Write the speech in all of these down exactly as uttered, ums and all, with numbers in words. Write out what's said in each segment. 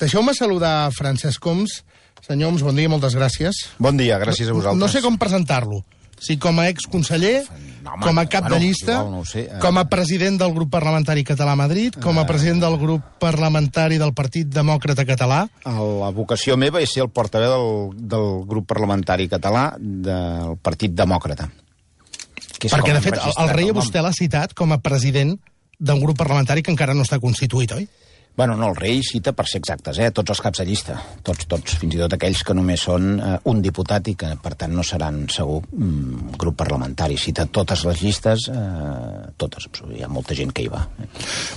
Deixeu-me saludar Francesc Homs. Senyor Homs, bon dia, moltes gràcies. Bon dia, gràcies a vosaltres. No sé com presentar-lo. Si com a exconseller, no, home, com a cap bueno, de llista, igual, no ho sé. com a president del grup parlamentari català a Madrid, com a president del grup parlamentari del Partit Demòcrata Català. La vocació meva és ser el portaveu del, del grup parlamentari català del Partit Demòcrata. Perquè, de fet, el, el rei vostè l'ha citat com a president d'un grup parlamentari que encara no està constituït, oi? Bueno, no, el rei cita, per ser exactes, eh, tots els caps de llista, tots, tots, fins i tot aquells que només són eh, un diputat i que, per tant, no seran, segur, mm, grup parlamentari. Cita totes les llistes, eh, totes, hi ha molta gent que hi va. Eh.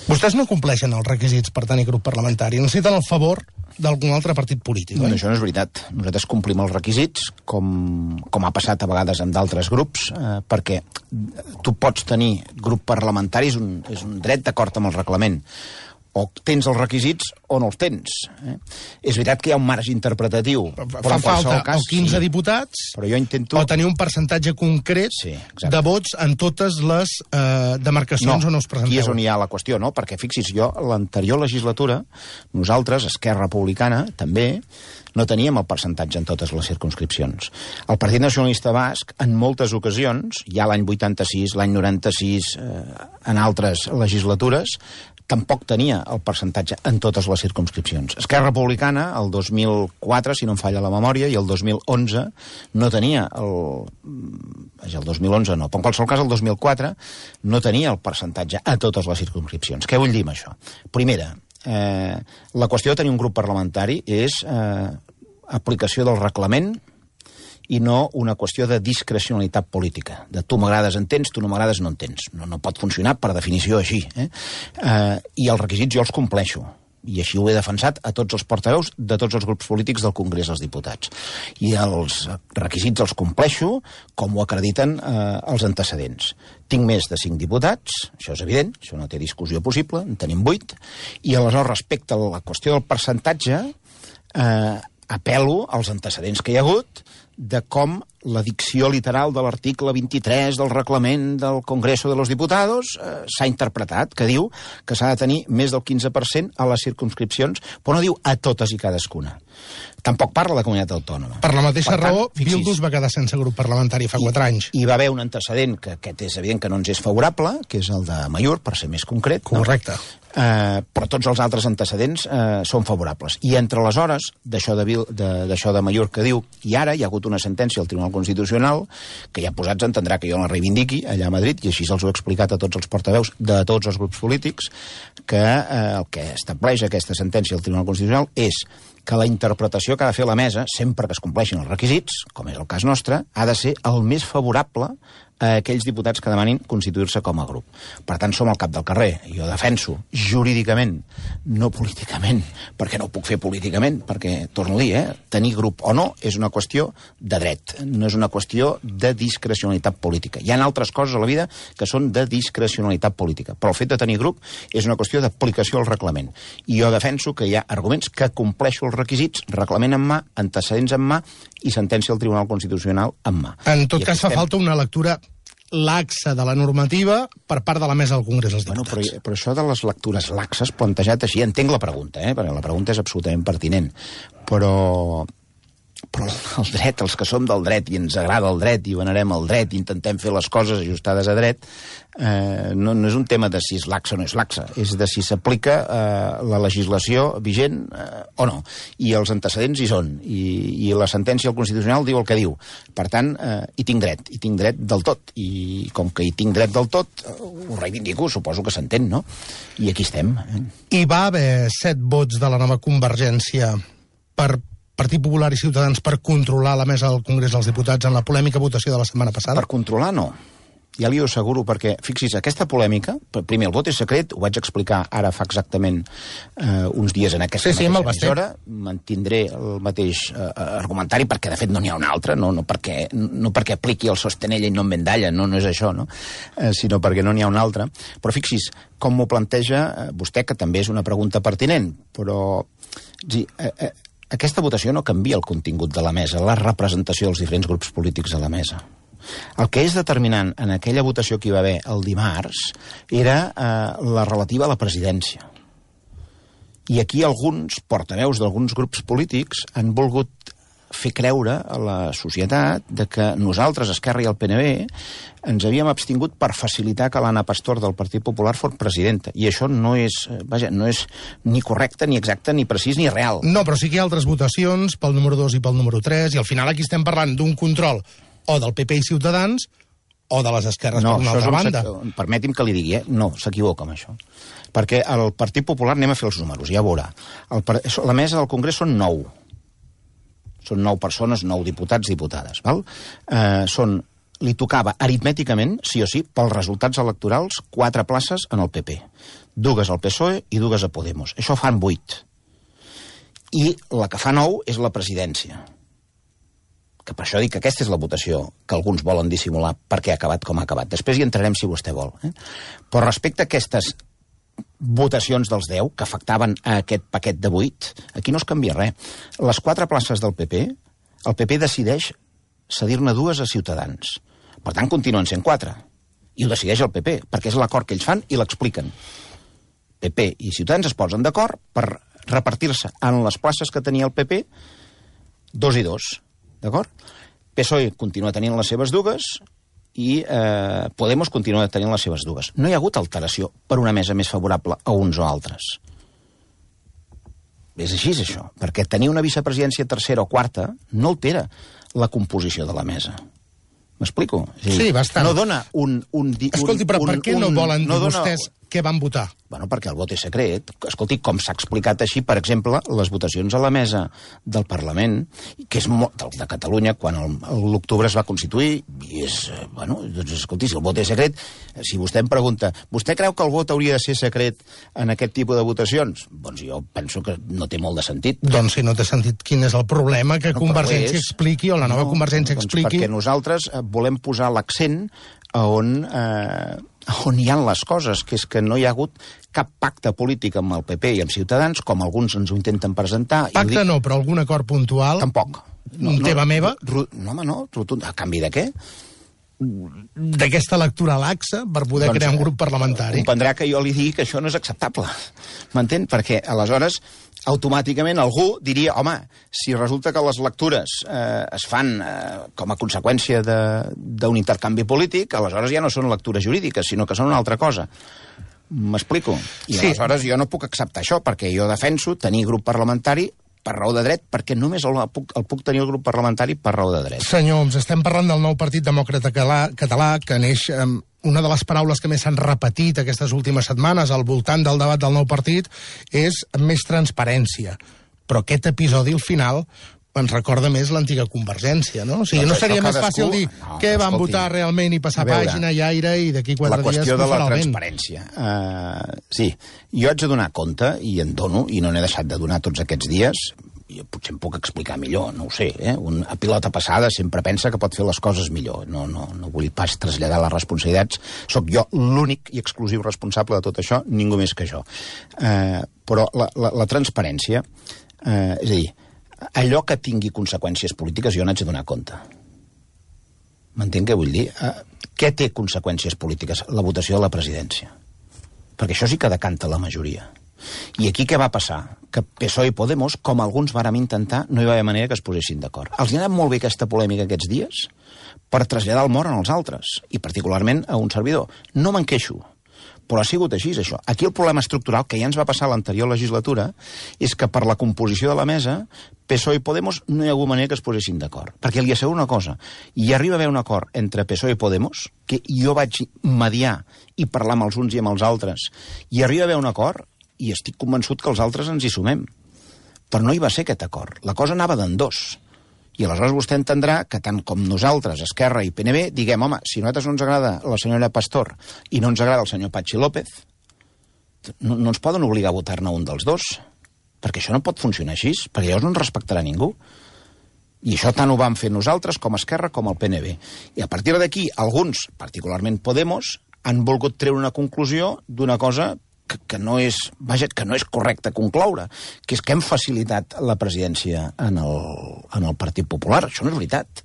Vostès no compleixen els requisits per tenir grup parlamentari, necessiten el favor d'algun altre partit polític, oi? No, això no és veritat. Nosaltres complim els requisits, com, com ha passat a vegades amb d'altres grups, eh, perquè tu pots tenir grup parlamentari, és un, és un dret d'acord amb el reglament. O tens els requisits o no els tens. Eh? És veritat que hi ha un marge interpretatiu. Fa falta cas, o quinze sí, diputats però jo intento... o tenir un percentatge concret sí, de vots en totes les eh, demarcacions no, on us presenteu. Aquí és on hi ha la qüestió, no? Perquè fixis, jo, l'anterior legislatura, nosaltres, Esquerra Republicana, també, no teníem el percentatge en totes les circumscripcions. El Partit Nacionalista Basc, en moltes ocasions, ja l'any vuitanta-sis, l'any noranta-sis, eh, en altres legislatures, tampoc tenia el percentatge en totes les circumscripcions. Esquerra Republicana, el dos mil quatre, si no em falla la memòria, i el dos mil onze no tenia el... el dos mil onze no, però en qualsevol cas el dos mil quatre no tenia el percentatge a totes les circumscripcions. Què vull dir amb això? Primera, eh, la qüestió de tenir un grup parlamentari és eh, aplicació del reglament i no una qüestió de discrecionalitat política. De tu m'agrades en tens, tu no m'agrades no en tens. No, no pot funcionar per definició així. Eh? Eh, I els requisits jo els compleixo. I així ho he defensat a tots els portaveus de tots els grups polítics del Congrés dels Diputats. I els requisits els compleixo com ho acrediten eh, els antecedents. Tinc més de cinc diputats, això és evident, això no té discussió possible, en tenim vuit, i aleshores respecte a la qüestió del percentatge eh, apel·lo als antecedents que hi ha hagut de com la dicció literal de l'article vint-i-tres del reglament del Congreso de los Diputados eh, s'ha interpretat, que diu que s'ha de tenir més del quinze per cent a les circumscripcions, però no diu a totes i cadascuna. Tampoc parla de comunitat autònoma. Per la mateixa per tant, raó, fixis, Bildu es va quedar sense grup parlamentari fa quatre anys. Hi va haver un antecedent, que aquest és evident que no ens és favorable, que és el de Amaiur, per ser més concret. Correcte. No? Eh, però tots els altres antecedents eh, són favorables. I entre les hores d'això de, de, d'això de Amaiur que diu, i ara hi ha hagut una sentència al Tribunal Constitucional, que ja posats entendrà que jo la reivindiqui allà a Madrid, i així els ho he explicat a tots els portaveus de tots els grups polítics, que eh, el que estableix aquesta sentència al Tribunal Constitucional és que la interpretació que ha de fer la mesa, sempre que es compleixin els requisits, com és el cas nostre, ha de ser el més favorable a aquells diputats que demanin constituir-se com a grup. Per tant, som al cap del carrer. Jo defenso jurídicament, no políticament, perquè no ho puc fer políticament, perquè, torno a dir, eh, tenir grup o no és una qüestió de dret, no és una qüestió de discrecionalitat política. Hi ha altres coses a la vida que són de discrecionalitat política, però el fet de tenir grup és una qüestió d'aplicació al reglament. I jo defenso que hi ha arguments que compleixo els requisits, reglament en mà, antecedents en mà i sentència del Tribunal Constitucional en mà. En tot I cas, fa estem... falta una lectura laxa de la normativa per part de la mesa del Congrés dels Diputats. Bueno, però, però això de les lectures laxes plantejat així, entenc la pregunta, eh? Perquè la pregunta és absolutament pertinent, però... però el dret, els que som del dret i ens agrada el dret i venerem el dret i intentem fer les coses ajustades a dret, eh, no, no és un tema de si és laxa o no és laxa, és de si s'aplica eh, la legislació vigent eh, o no. I els antecedents hi són, i, i la sentència del Constitucional diu el que diu. Per tant, eh, hi tinc dret, hi tinc dret del tot, i com que hi tinc dret del tot, eh, ho reivindico, suposo que s'entén, no? I aquí estem. Eh? Hi va haver set vots de la nova Convergència per Partit Popular i Ciutadans per controlar la mesa del Congrés dels Diputats en la polèmica votació de la setmana passada? Per controlar, no. Ja li ho asseguro, perquè, fixis, aquesta polèmica, primer, el vot és secret, ho vaig explicar ara fa exactament eh, uns dies en aquesta sí, sí, mateixa emissora, mantindré el mateix eh, argumentari, perquè de fet no n'hi ha un altre, no, no, perquè, no perquè apliqui el sostenella i no en vendalla, no, no és això, no? Eh, sinó perquè no n'hi ha un altre. Però fixis, com m'ho planteja eh, vostè, que també és una pregunta pertinent, però... Sí, eh, eh, aquesta votació no canvia el contingut de la mesa, la representació dels diferents grups polítics a la mesa. El que és determinant en aquella votació que hi va haver el dimarts era eh, la relativa a la presidència. I aquí alguns portaveus d'alguns grups polítics han volgut fer creure a la societat de que nosaltres, Esquerra i el P N B, ens havíem abstingut per facilitar que l'Anna Pastor del Partit Popular fos presidenta. I això no és, vaja, no és ni correcte, ni exacte, ni precís, ni real. No, però sí que hi ha altres votacions pel número dos i pel número tres, i al final aquí estem parlant d'un control o del P P i Ciutadans o de les esquerres no, per una altra banda. Permeti'm que li digui, eh? No, s'equivoca amb això. Perquè el Partit Popular, anem a fer els números, ja veurà. El, la mesa del Congrés són nou. Són nou persones, nou diputats, diputades. Val? Eh, són, li tocava aritmèticament, sí o sí, pels resultats electorals, quatre places en el P P. Dues al P S O E i dues a Podemos. Això fan vuit. I la que fa nou és la presidència. Que per això dic que aquesta és la votació que alguns volen dissimular perquè ha acabat com ha acabat. Després hi entrarem si vostè vol. Eh? Però respecte a aquestes votacions dels deu, que afectaven a aquest paquet de vuit, aquí no es canvia res. Les quatre places del P P, el P P decideix cedir-ne dues a Ciutadans. Per tant, continuen sent quatre. I ho decideix el P P, perquè és l'acord que ells fan i l'expliquen. P P i Ciutadans es posen d'acord per repartir-se en les places que tenia el P P, dos i dos. D'acord? P S O E continua tenint les seves dues i eh, Podemos continua tenint les seves dues. No hi ha hagut alteració per una mesa més favorable a uns o altres. És així, això. Perquè tenir una vicepresidència tercera o quarta no altera la composició de la mesa. M'explico? Sí, bastant. No dona un... un, un Escolti, però un, per què un, no volen no dir dona... vostès què van votar? Bueno, perquè el vot és secret. Escolti, com s'ha explicat així, per exemple, les votacions a la mesa del Parlament, que és molt, de Catalunya, quan l'octubre es va constituir, i és, bueno, doncs, escolti, si el vot és secret, si vostè em pregunta, vostè creu que el vot hauria de ser secret en aquest tipus de votacions? Doncs jo penso que no té molt de sentit. Doncs si no té sentit, quin és el problema que no, Convergència és... expliqui, o la nova no, Convergència doncs expliqui... Perquè nosaltres volem posar l'accent a on... Eh, on hi ha les coses, que és que no hi ha hagut cap pacte polític amb el P P i amb Ciutadans, com alguns ens ho intenten presentar. Pacte dic... no, però algun acord puntual... Tampoc. No, no, teva meva? No, home, no. A canvi de què? D'aquesta lectura laxa per poder doncs, crear un grup parlamentari. Comprendrà que jo li digui que això no és acceptable. M'entén? Perquè aleshores automàticament algú diria, home, si resulta que les lectures eh, es fan eh, com a conseqüència d'un intercanvi polític, aleshores ja no són lectures jurídiques, sinó que són una altra cosa. M'explico? I sí. Aleshores jo no puc acceptar això, perquè jo defenso tenir grup parlamentari per raó de dret, perquè només el puc, el puc tenir el grup parlamentari per raó de dret. Senyor Homs, estem parlant del nou Partit Demòcrata Català, que neix... Eh, una de les paraules que més s'han repetit aquestes últimes setmanes al voltant del debat del nou partit és més transparència. Però aquest episodi, al final, ens recorda més l'antiga Convergència, no? O sigui, doncs no seria més fàcil dir no, què van escolti, votar realment i passar veure, pàgina i aire i d'aquí quatre dies... La qüestió de la transparència. Uh, sí, jo haig de donar compte, i en dono, i no n'he deixat de donar tots aquests dies... jo potser em puc explicar millor, no ho sé, eh? Un, a pilota passada sempre pensa que pot fer les coses millor. No, no, no vull pas traslladar les responsabilitats. Soc jo l'únic i exclusiu responsable de tot això, ningú més que jo. Eh, però la, la, la transparència, eh, és a dir, allò que tingui conseqüències polítiques jo n'haig de donar compte. M'entén què vull dir? Eh, què té conseqüències polítiques? La votació de la presidència. Perquè això sí que decanta la majoria. I aquí què va passar? Que P S O E i Podemos, com alguns vàrem intentar, no hi va haver manera que es posessin d'acord. Els hi ha anat molt bé aquesta polèmica aquests dies per traslladar el mort als altres, i particularment a un servidor. No me'n queixo, però ha sigut així, això. Aquí el problema estructural, que ja ens va passar a l'anterior legislatura, és que per la composició de la mesa, P S O E i Podemos no hi ha hagut manera que es posessin d'acord. Perquè li asseguro una cosa, hi arriba a haver un acord entre P S O E i Podemos, que jo vaig mediar i parlar amb els uns i amb els altres, i arriba a haver un acord, i estic convençut que els altres ens hi sumem. Però no hi va ser aquest acord. La cosa anava d'endós. I aleshores vostè entendrà que tant com nosaltres, Esquerra i P N B, diguem, home, si a nosaltres no ens agrada la senyora Pastor i no ens agrada el senyor Patxi López, no, no ens poden obligar a votar-ne un dels dos. Perquè això no pot funcionar així, perquè llavors no ens respectarà ningú. I això tant ho vam fer nosaltres com Esquerra com el P N B. I a partir d'aquí, alguns, particularment Podemos, han volgut treure una conclusió d'una cosa Que, que, no és, vaja, que no és correcte concloure, que és que hem facilitat la presidència en el, en el Partit Popular. Això no és veritat.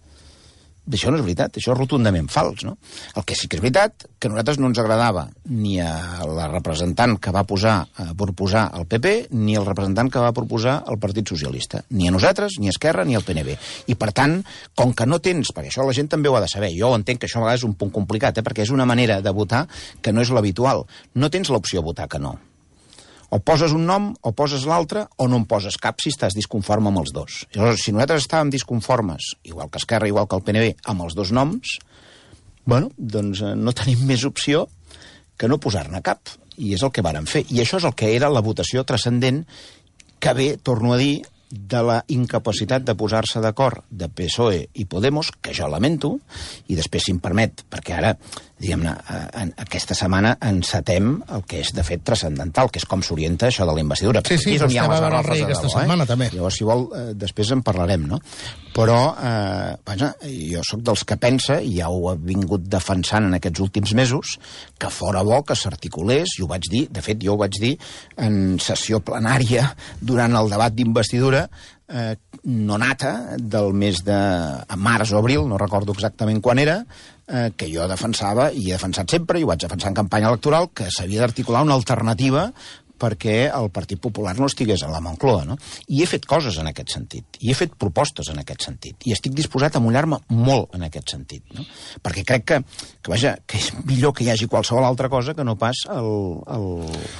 això no és veritat, això és rotundament fals, no? El que sí que és veritat, que a nosaltres no ens agradava ni a la representant que va posar, a proposar el P P, ni el representant que va proposar el Partit Socialista. Ni a nosaltres, ni a Esquerra, ni al P N B. I, per tant, com que no tens, perquè això la gent també ho ha de saber, jo entenc que això a vegades és un punt complicat, eh, perquè és una manera de votar que no és l'habitual. No tens l'opció de votar que no. O poses un nom, o poses l'altre, o no en poses cap si estàs disconforme amb els dos. I llavors, si nosaltres estàvem disconformes, igual que Esquerra, igual que el P N B, amb els dos noms, bueno, doncs eh, no tenim més opció que no posar-ne cap. I és el que vàrem fer. I això és el que era la votació transcendent que ve, torno a dir, de la incapacitat de posar-se d'acord de P S O E i Podemos, que jo lamento, i després, si em permet, perquè ara, diguem-ne, aquesta setmana encetem el que és, de fet, transcendental, que és com s'orienta això de la investidura. Sí, sí, vostè va veure el rei aquesta setmana, també. Llavors, si vol, després en parlarem, no? Però, eh, vaja, jo sóc dels que pensa, i ja ho he vingut defensant en aquests últims mesos, que fora bo que s'articulés, i ho vaig dir, de fet, jo ho vaig dir en sessió plenària durant el debat d'investidura, eh, no nata del mes de març o abril, no recordo exactament quan era, eh, que jo defensava, i he defensat sempre, i ho vaig defensar en campanya electoral, que s'havia d'articular una alternativa perquè el Partit Popular no estigués a la Moncloa, no? I he fet coses en aquest sentit, i he fet propostes en aquest sentit, i estic disposat a mullar-me molt en aquest sentit, no? Perquè crec que, que, vaja, que és millor que hi hagi qualsevol altra cosa que no pas el, el,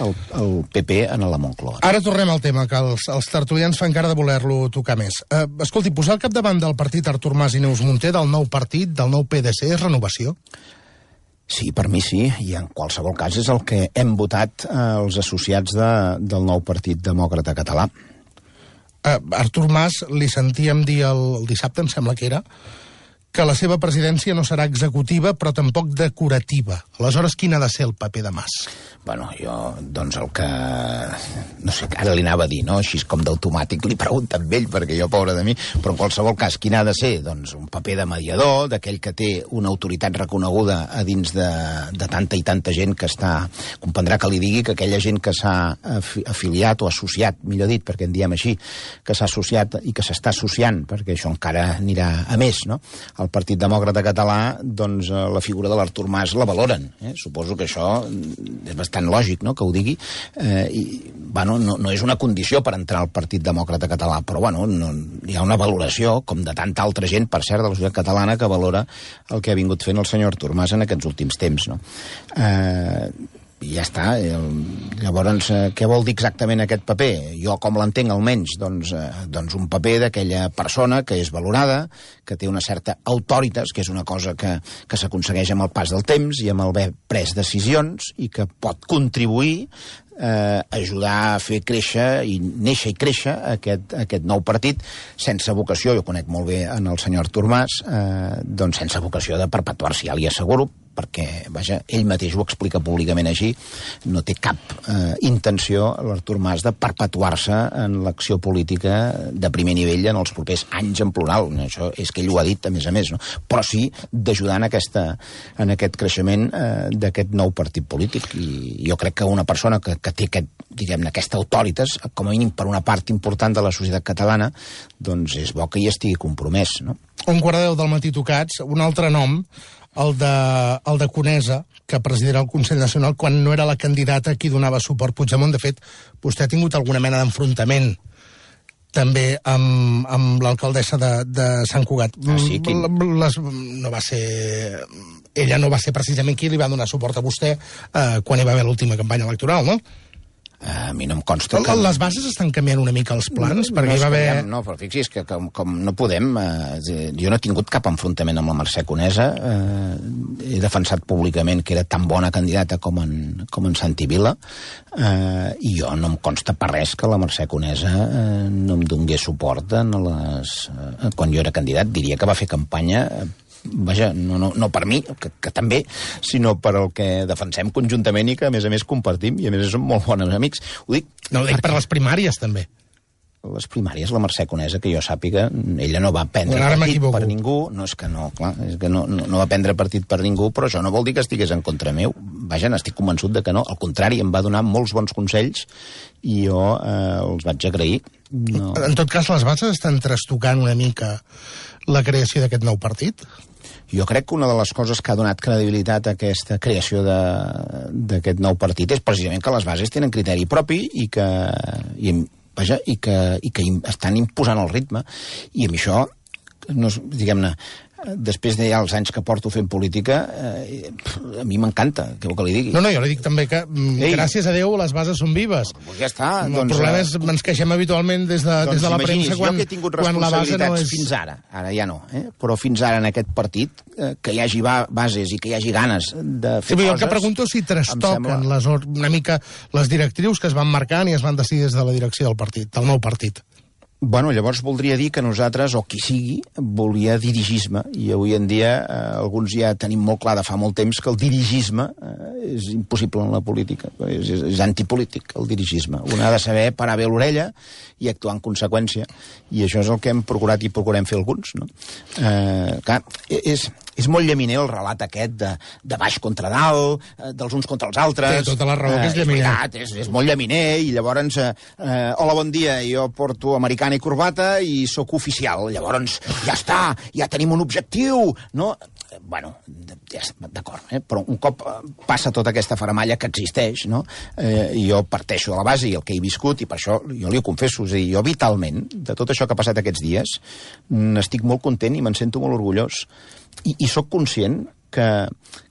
el, el P P en la Moncloa. Ara tornem al tema, que els, els tertulians fan cara de voler-lo tocar més. Uh, escolti, posar al capdavant del partit Artur Mas i Neus Munté, del nou partit, del nou P D C, és renovació? Sí, per mi sí, i en qualsevol cas és el que hem votat eh, els associats de, del nou Partit Demòcrata Català. Uh, Artur Mas, li sentíem dir el, el dissabte, em sembla que era, que la seva presidència no serà executiva, però tampoc decorativa. Aleshores, quin ha de ser el paper de Mas? Bueno, jo, doncs el que... No sé, ara li anava a dir, no? Així com d'automàtic li pregunto amb ell, perquè jo, pobre de mi, però en qualsevol cas, quin ha de ser? Doncs un paper de mediador, d'aquell que té una autoritat reconeguda a dins de, de tanta i tanta gent que està... Comprendrà que li digui que aquella gent que s'ha afiliat o associat, millor dit, perquè en diem així, que s'ha associat i que s'està associant, perquè això encara anirà a més, no? El Partit Demòcrata Català, doncs la figura de l'Artur Mas la valoren. Eh? Suposo que això és bastant lògic, no?, que ho digui. Eh, i, bueno, no, no és una condició per entrar al Partit Demòcrata Català, però bueno, no, hi ha una valoració, com de tanta altra gent, per cert, de la societat catalana, que valora el que ha vingut fent el senyor Artur Mas en aquests últims temps, no? Eh, i ja està. Llavors, què vol dir exactament aquest paper? Jo, com l'entenc almenys, doncs, eh, doncs un paper d'aquella persona que és valorada, que té una certa autoritas, que és una cosa que, que s'aconsegueix amb el pas del temps i amb el haver pres decisions, i que pot contribuir eh, ajudar a fer créixer i néixer i créixer aquest, aquest nou partit sense vocació, jo conec molt bé en el senyor Artur Mas, eh, doncs sense vocació de perpetuar-se, ja li asseguro, perquè, vaja, ell mateix ho explica públicament així, no té cap eh, intenció, l'Artur Mas, de perpetuar-se en l'acció política de primer nivell en els propers anys en plural. Això és que ell ho ha dit, a més a més, no? Però sí d'ajudar en, aquesta, en aquest creixement eh, d'aquest nou partit polític. I jo crec que una persona que, que té aquest, diguem-ne, aquesta autoritas, com a mínim per una part important de la societat catalana, doncs és bo que hi estigui compromès, no? Un quart de deu del matí tocats, un altre nom, el de, el de Conesa, que presidirà el Consell Nacional quan no era la candidata a qui donava suport Puigdemont. De fet, vostè ha tingut alguna mena d'enfrontament també amb, amb l'alcaldessa de, de Sant Cugat. Ah, sí? Quin? Les, no va ser... Ella no va ser precisament qui li va donar suport a vostè eh, quan hi va haver l'última campanya electoral, no? A mi no em consta que... Les bases estan canviant una mica els plans? No, perquè no hi va haver... Canviant, no, però fixi's que com, com no podem... Eh, jo no he tingut cap enfrontament amb la Mercè Conesa. Eh, he defensat públicament que era tan bona candidata com en, com en Santi Vila. Eh, I jo no em consta per res que la Mercè Conesa eh, no em donés suport en les, eh, quan jo era candidat. Diria que va fer campanya... Eh, vaja, no, no, no per mi, que, que també, sinó per el que defensem conjuntament i que, a més a més, compartim, i a més som molt bons amics. Ho dic... No, ho dic per les primàries, també. Les primàries, la Mercè Conesa, que jo sàpiga, ella no va prendre bueno, partit per ningú, no és que no, clar, és que no, no, no va prendre partit per ningú, però això no vol dir que estigués en contra meu. Vaja, n'estic convençut de que no. Al contrari, em va donar molts bons consells i jo eh, els vaig agrair. No. En tot cas, les bases estan trastocant una mica la creació d'aquest nou partit? jo crec que una de les coses que ha donat credibilitat a aquesta creació d'aquest nou partit és precisament que les bases tenen criteri propi i que, i, vaja, i que, i que estan imposant el ritme. I amb això, no, diguem-ne, després de ja els anys que porto fent política, eh, a mi m'encanta, què vol que li digui? No, no, jo li dic també que, Ei, gràcies a Déu, les bases són vives. Pues ja està. El doncs, problema és ens queixem habitualment des de, doncs des de la premsa quan, jo que he tingut quan la base no és... fins ara, ara ja no, eh? Però fins ara en aquest partit, eh, que hi hagi bases i que hi hagi ganes de fer sí, coses... Jo el que pregunto si trastoquen sembla... les, una mica les directrius que es van marcant i es van decidir des de la direcció del partit, del nou partit. Bueno, llavors voldria dir que nosaltres, o qui sigui, volia dirigisme, i avui en dia eh, alguns ja tenim molt clar de fa molt temps que el dirigisme eh, és impossible en la política, és, és, és antipolític, el dirigisme. Un ha de saber parar bé l'orella i actuar en conseqüència, i això és el que hem procurat i procurem fer alguns, no? Eh, clar, és... És molt llaminer el relat aquest de, de baix contra dalt, eh, dels uns contra els altres. Té tota la raó, eh, que és llaminer. És, veritat, és, és molt llaminer, i llavors, eh, eh, hola, bon dia, jo porto americana i corbata i sóc oficial. Llavors, ja està, ja tenim un objectiu, no? Bueno, ja, d'acord, eh? Però un cop passa tota aquesta faramalla que existeix, no? Eh, jo parteixo de la base i el que he viscut, i per això jo li ho confesso, és a dir, jo vitalment, de tot això que ha passat aquests dies, n'estic molt content i me'n sento molt orgullós. I, i sóc conscient que,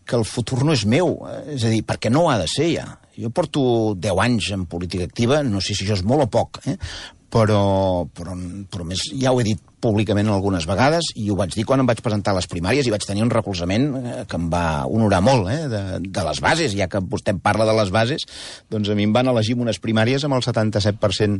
que el futur no és meu, és a dir, perquè no ho ha de ser ja. Jo porto deu anys en política activa, no sé si això és molt o poc, eh? però, però, però més, ja ho he dit públicament algunes vegades, i ho vaig dir quan em vaig presentar a les primàries, i vaig tenir un recolzament que em va honorar molt, eh, de, de les bases. Ja que vostè em parla de les bases, doncs a mi em van elegir en unes primàries amb el setanta-set per cent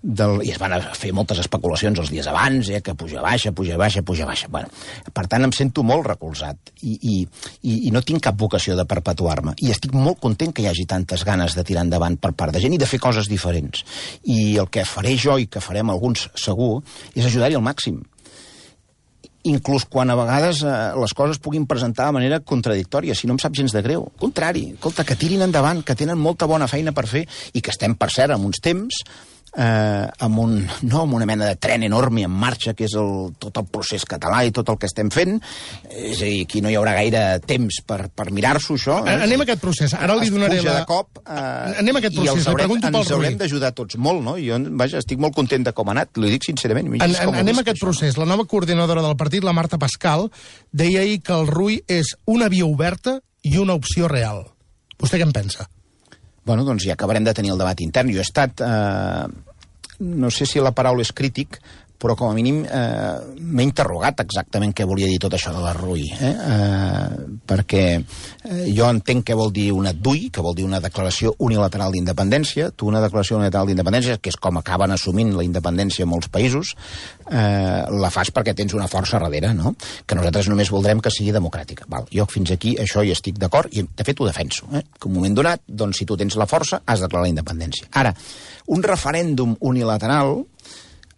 del... i es van fer moltes especulacions els dies abans, eh, que puja baixa, puja baixa, puja baixa. Bueno, per tant, em sento molt recolzat, i, i, i, i no tinc cap vocació de perpetuar-me, i estic molt content que hi hagi tantes ganes de tirar endavant per part de gent i de fer coses diferents. I el que faré jo, i que farem alguns segur, és ajudar-hi al màxim. Inclús quan a vegades eh, les coses puguin presentar de manera contradictòria, si no em sap gens de greu. Al contrari, escolta, que tirin endavant, que tenen molta bona feina per fer, i que estem, per cert, en uns temps eh, amb, un, no, amb una mena de tren enorme en marxa, que és el, tot el procés català i tot el que estem fent. És a dir, aquí no hi haurà gaire temps per, per mirar-s'ho, això. Eh? Anem a aquest procés. Ara li donaré la... de cop, eh, anem a aquest procés. I haurem, ens ens haurem d'ajudar tots molt, no? I jo, vaja, estic molt content de com ha anat, l'ho dic sincerament. En, en, anem a aquest això, procés. La nova coordinadora del partit, la Marta Pascal, deia ahir que el R U I és una via oberta i una opció real. Vostè què en pensa? Bueno, doncs ja acabarem de tenir el debat intern. Jo he estat, eh, no sé si la paraula és crític, però com a mínim eh, m'he interrogat exactament què volia dir tot això de la R U I, eh? Eh, perquè eh, jo entenc què vol dir una D U I, que vol dir una declaració unilateral d'independència. Tu una declaració unilateral d'independència, que és com acaben assumint la independència en molts països, eh, la fas perquè tens una força darrere, no? Que nosaltres només voldrem que sigui democràtica. Val? Jo fins aquí això hi estic d'acord, i de fet ho defenso, eh? Que en un moment donat, doncs si tu tens la força, has de declarar la independència. Ara, un referèndum unilateral,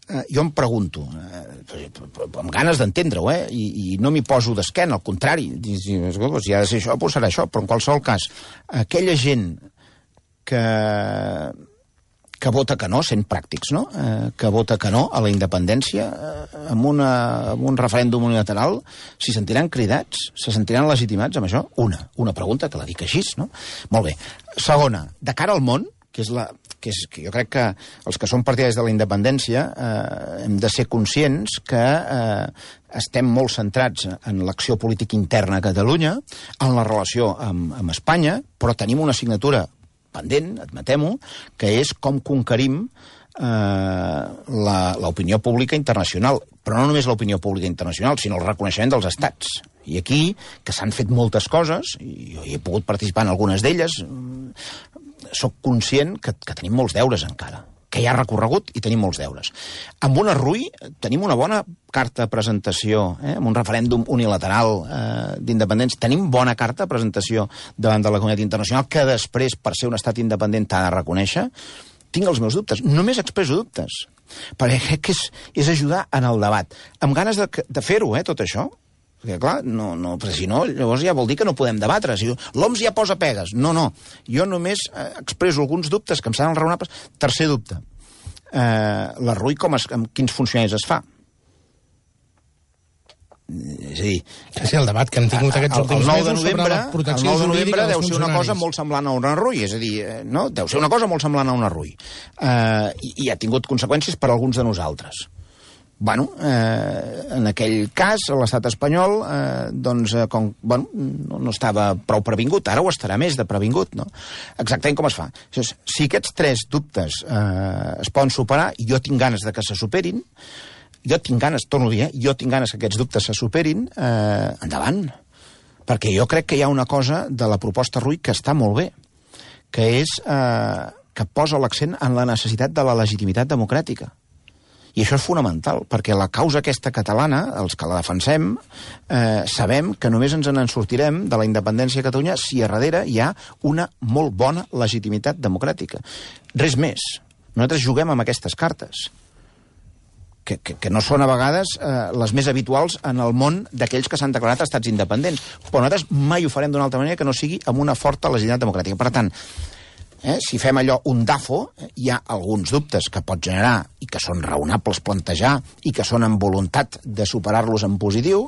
Eh, jo em pregunto, eh, amb ganes d'entendre-ho, eh, i, i no m'hi poso d'esquena, al contrari, si, si ha de ser això, doncs serà això, però en qualsevol cas, aquella gent que, que vota que no, sent pràctics, no? Eh, que vota que no a la independència, eh, amb, una, amb un referèndum unilateral, s'hi sentiran cridats, se sentiran legitimats amb això? Una, una pregunta que la dic així, no? Molt bé. Segona, de cara al món, que és la... que, és, que jo crec que els que som partidaris de la independència eh, hem de ser conscients que eh, estem molt centrats en l'acció política interna a Catalunya, en la relació amb, amb Espanya, però tenim una assignatura pendent, admetem-ho, que és com conquerim eh, l'opinió pública internacional. Però no només l'opinió pública internacional, sinó el reconeixement dels estats. I aquí, que s'han fet moltes coses, i jo hi he pogut participar en algunes d'elles, soc conscient que, que tenim molts deures encara, que hi ha recorregut i tenim molts deures. Amb una R U I tenim una bona carta de presentació, eh, amb un referèndum unilateral eh, d'independència. Tenim bona carta de presentació davant de la comunitat internacional, que després, per ser un estat independent, t'ha de reconèixer. Tinc els meus dubtes, només expresso dubtes, perquè crec que és, és ajudar en el debat. Amb ganes de, de fer-ho, eh, tot això. Perquè, clar, no, no, perquè si no, llavors ja vol dir que no podem debatre. Si l'O M S ja posa pegues. No, no. Jo només eh, expresso alguns dubtes que em semblen raonables. Tercer dubte. Eh, la R U I, com es, amb quins funcionaris es fa? És a dir... Sí, el debat que hem tingut aquests últims mesos sobre la protecció jurídica... El nou de novembre deu ser una cosa molt semblant a un arrull, és a dir, no? Deu ser una cosa molt semblant a un arrull. Uh, i, I ha tingut conseqüències per a alguns de nosaltres. Bueno, eh, en aquell cas, l'estat espanyol, eh, doncs, eh, com, bueno, no, no estava prou previngut, ara ho estarà més de previngut, no? Exactament com es fa. Si aquests tres dubtes eh, es poden superar, i jo tinc ganes de que se superin, jo tinc ganes, torno a dir, eh, jo tinc ganes que aquests dubtes se superin, eh, endavant. Perquè jo crec que hi ha una cosa de la proposta Rull que està molt bé, que és eh, que posa l'accent en la necessitat de la legitimitat democràtica. I això és fonamental, perquè la causa aquesta catalana, els que la defensem, eh, sabem que només ens en sortirem de la independència de Catalunya si a darrere hi ha una molt bona legitimitat democràtica. Res més. Nosaltres juguem amb aquestes cartes, que, que, que no són a vegades eh, les més habituals en el món d'aquells que s'han declarat estats independents. Però nosaltres mai ho farem d'una altra manera que no sigui amb una forta legitimitat democràtica. Per tant, Eh, si fem allò un dafo, eh, hi ha alguns dubtes que pot generar i que són raonables plantejar i que són amb voluntat de superar-los en positiu,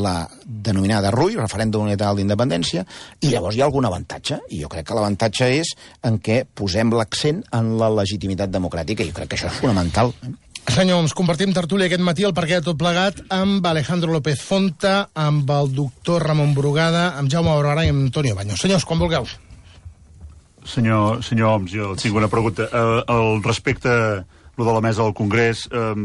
la denominada Rull, referèndum unilateral d'independència, i llavors hi ha algun avantatge, i jo crec que l'avantatge és en què posem l'accent en la legitimitat democràtica, i jo crec que això és fonamental. Eh? Senyor, ens compartim tertúlia aquest matí, el perquè de tot plegat, amb Alejandro López Fonta, amb el doctor Ramon Brugada, amb Jaume Barberà i amb Antonio Baños. Senyors, quan vulgueu. Senyor, senyor Homs, jo tinc una pregunta. Eh, el respecte a lo de la mesa del Congrés, eh,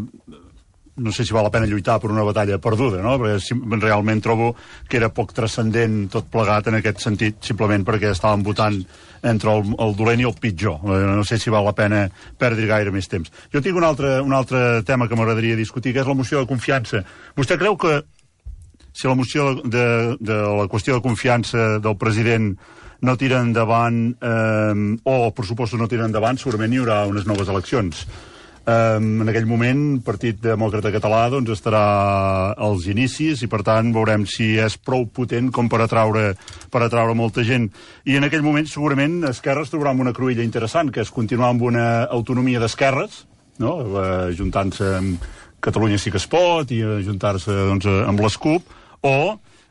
no sé si val la pena lluitar per una batalla perduda, no? Perquè si, realment trobo que era poc transcendent tot plegat en aquest sentit, simplement perquè estàvem votant entre el, el dolent i el pitjor. Eh, no sé si val la pena perdre gaire més temps. Jo tinc un altre, un altre tema que m'agradaria discutir, que és la moció de confiança. Vostè creu que si la moció de, de, de la qüestió de confiança del president no tira endavant, eh, o els pressupostos no tiren endavant, segurament hi haurà unes noves eleccions. Eh, en aquell moment, el Partit Demòcrata Català doncs, estarà als inicis i, per tant, veurem si és prou potent com per atraure, per atraure molta gent. I en aquell moment, segurament, Esquerra es trobarà amb una cruïlla interessant, que és continuar amb una autonomia d'esquerres, no? eh, ajuntant-se amb Catalunya sí que es pot i ajuntar-se doncs, amb les CUP, o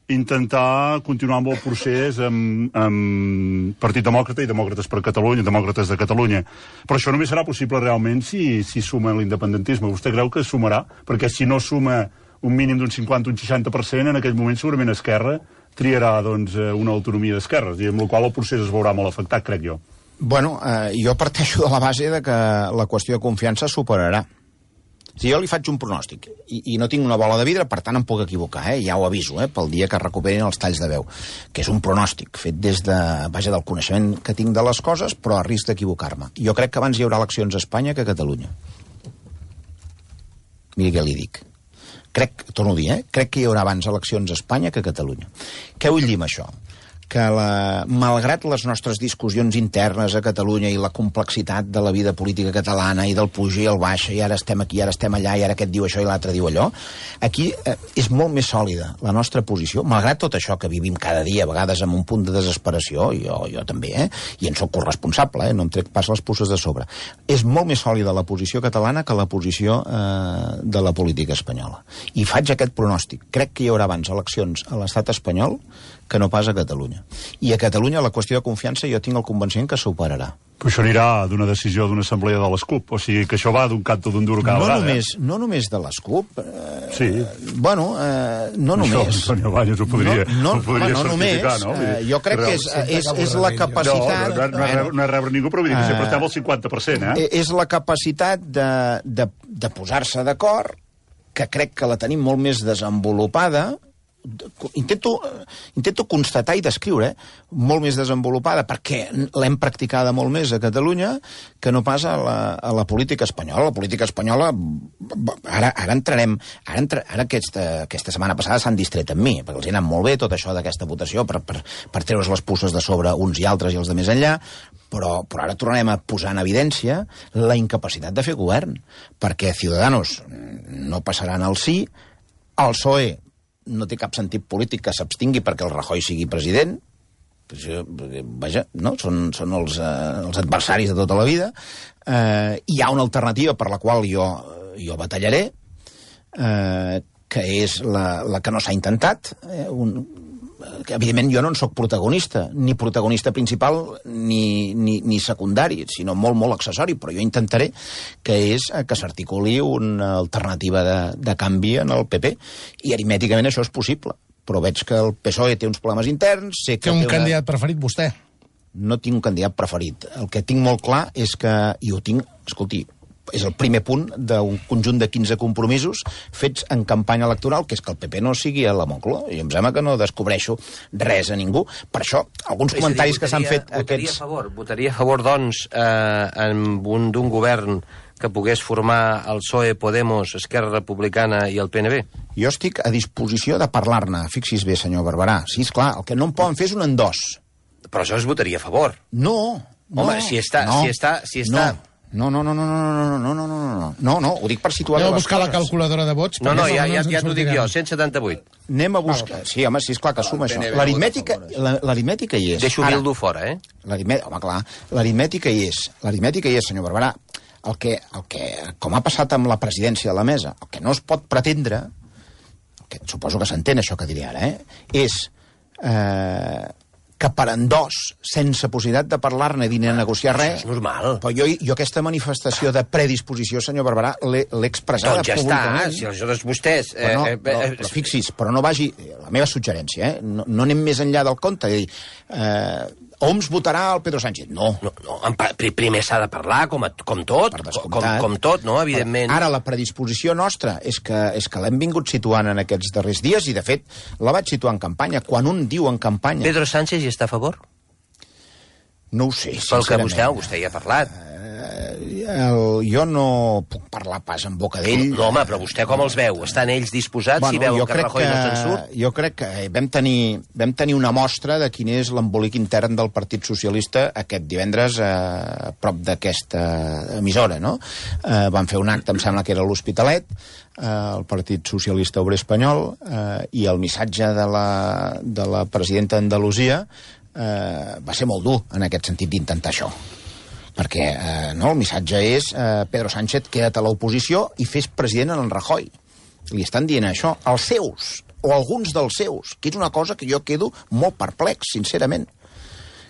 intentar continuar amb el procés amb, amb Partit Demòcrata i Demòcrates per Catalunya, Demòcrates de Catalunya. Però això només serà possible realment si, si suma l'independentisme. Vostè creu que sumarà? Perquè si no suma un mínim d'un cinquanta o un seixanta per cent, en aquell moment segurament Esquerra triarà doncs, una autonomia d'esquerres, i amb la qual el procés es veurà molt afectat, crec jo. Bueno, eh, jo parteixo de la base de que la qüestió de confiança superarà. Si jo li faig un pronòstic, i, i no tinc una bola de vidre, per tant em puc equivocar, eh? Ja ho aviso, eh? Pel dia que recuperin els talls de veu, que és un pronòstic fet des de, vaja, del coneixement que tinc de les coses, però a risc d'equivocar-me. Jo crec que abans hi haurà eleccions a Espanya que a Catalunya. Miri què li dic. Crec, torno a dir, eh? Crec que hi haurà abans eleccions a Espanya que a Catalunya. Què vull dir amb això? Que la, malgrat les nostres discussions internes a Catalunya i la complexitat de la vida política catalana i del pujar i el baixa, i ara estem aquí, ara estem allà, i ara aquest diu això i l'altre diu allò, aquí eh, és molt més sòlida la nostra posició, malgrat tot això que vivim cada dia, a vegades amb un punt de desesperació, jo, jo també, eh? I en sóc corresponsable, eh? No em trec pas les puces de sobre. És molt més sòlida la posició catalana que la posició eh, de la política espanyola. I faig aquest pronòstic. Crec que hi haurà abans eleccions a l'estat espanyol que no pas a Catalunya. I a Catalunya la qüestió de confiança jo tinc el convenciment que superarà. Però això anirà d'una decisió d'una assemblea de les CUP, o sigui que això va d'un canto d'un duro cada no vegada. Només, eh? No només de les CUP. Eh, sí. Bueno, eh, no això, només. Antonio Baños ho podria, no, no, ho podria no certificar, només, no? Eh, jo crec que és, és, és la capacitat... No, no, no, no, no és rebre ningú, però vull dir que sempre estem al cinquanta per cent, eh? És la capacitat de, de, de posar-se d'acord, que crec que la tenim molt més desenvolupada, Intento, intento constatar i descriure, eh? Molt més desenvolupada, perquè l'hem practicada molt més a Catalunya que no pas a la, a la política espanyola. La política espanyola, ara, ara entrarem, ara, entra, ara aquesta, aquesta setmana passada s'han distret amb mi, perquè els ha anat molt bé tot això d'aquesta votació per, per, per treure's les puces de sobre uns i altres i els de més enllà, però, però ara tornarem a posar en evidència la incapacitat de fer govern, perquè Ciudadanos no passaran al sí, el P S O E no té cap sentit polític que s'abstingui perquè el Rajoy sigui president, vaja, no? Són, són els, eh, els adversaris de tota la vida. Eh, hi ha una alternativa per la qual jo, jo batallaré, eh, que és la, la que no s'ha intentat. Eh, un, que, evidentment, jo no en soc protagonista, ni protagonista principal ni, ni, ni secundari, sinó molt, molt accessori, però jo intentaré que és que s'articuli una alternativa de, de canvi en el P P. I aritmèticament això és possible. Però veig que el P S O E té uns problemes interns... Sé que té un té una... candidat preferit, vostè? No tinc un candidat preferit. El que tinc molt clar és que... I ho tinc, escolti, és el primer punt d'un conjunt de quinze compromisos fets en campanya electoral, que és que el P P no sigui a la Moncloa. I em sembla que no descobreixo res a ningú. Per això, alguns és comentaris dir, votaria, que s'han fet... Votaria aquests... a favor, votaria a favor, doncs, eh, un, d'un govern que pogués formar el P S O E, Podemos, Esquerra Republicana i el P N B? Jo estic a disposició de parlar-ne. Fixi's bé, senyor Barberà. Sí, esclar, el que no em poden fer és un endós. Però això es votaria a favor. No, no. Home, si està... No, si està, si està... No, no, no, no, no, no, no, no, no, no, no, no, ho dic per situar Aneu a les buscar coses. la calculadora de vots. No, no, perquè ja, no ja, ens en ja t'ho dic sortirem. jo, cent setanta-vuit. Anem a buscar... Sí, home, sí, esclar que suma això. L'aritmètica la, l'aritmètica hi és. Deixo Ara, Bildu fora, eh? l'aritmètica, home, clar, l'aritmètica hi és. L'aritmètica hi és, senyor Barberà. El que, el que, com ha passat amb la presidència de la mesa, el que no es pot pretendre, el que suposo que s'entén això que diré ara, eh, és eh, que per endós, sense possibilitat de parlar-ne i de negociar res... Això és normal. Però jo, jo aquesta manifestació de predisposició, senyor Barberà, l'he, l'he expressada doncs ja públicament. està, si aleshores vostès... Eh, Però, no, eh, però, eh, però fixi's, però no vagi... La meva suggerència, eh? No, no anem més enllà del compte. És a dir, eh, Oms votarà el Pedro Sánchez. No. No, no, en pa- pri- primer s'ha de parlar, com, a, com tot, Per com, descomptat. com tot, no?, evidentment. Ara la predisposició nostra és que, és que l'hem vingut situant en aquests darrers dies i, de fet, la vaig situar en campanya. Quan un diu en campanya... Pedro Sánchez hi està a favor? No ho sé, Pel que sincerament. vostè, vostè hi ha parlat. El, jo no puc parlar pas en boca d'ell. No, home, però vostè com els veu? Estan ells disposats, Bueno, si veuen jo que crec Rajoy no se'n surt? Jo crec que vam tenir, vam tenir una mostra de quin és l'embolic intern del Partit Socialista aquest divendres eh, a prop d'aquesta emissora, no? Eh, van fer un acte, em sembla que era a l'Hospitalet, eh, el Partit Socialista Obrer Espanyol, eh, i el missatge de la, de la presidenta d'Andalusia eh, va ser molt dur en aquest sentit d'intentar això. Perquè eh, no, el missatge és eh, Pedro Sánchez, queda't a l'oposició i fes president en Rajoy. Li estan dient això als seus, o alguns dels seus, que és una cosa que jo quedo molt perplex, sincerament.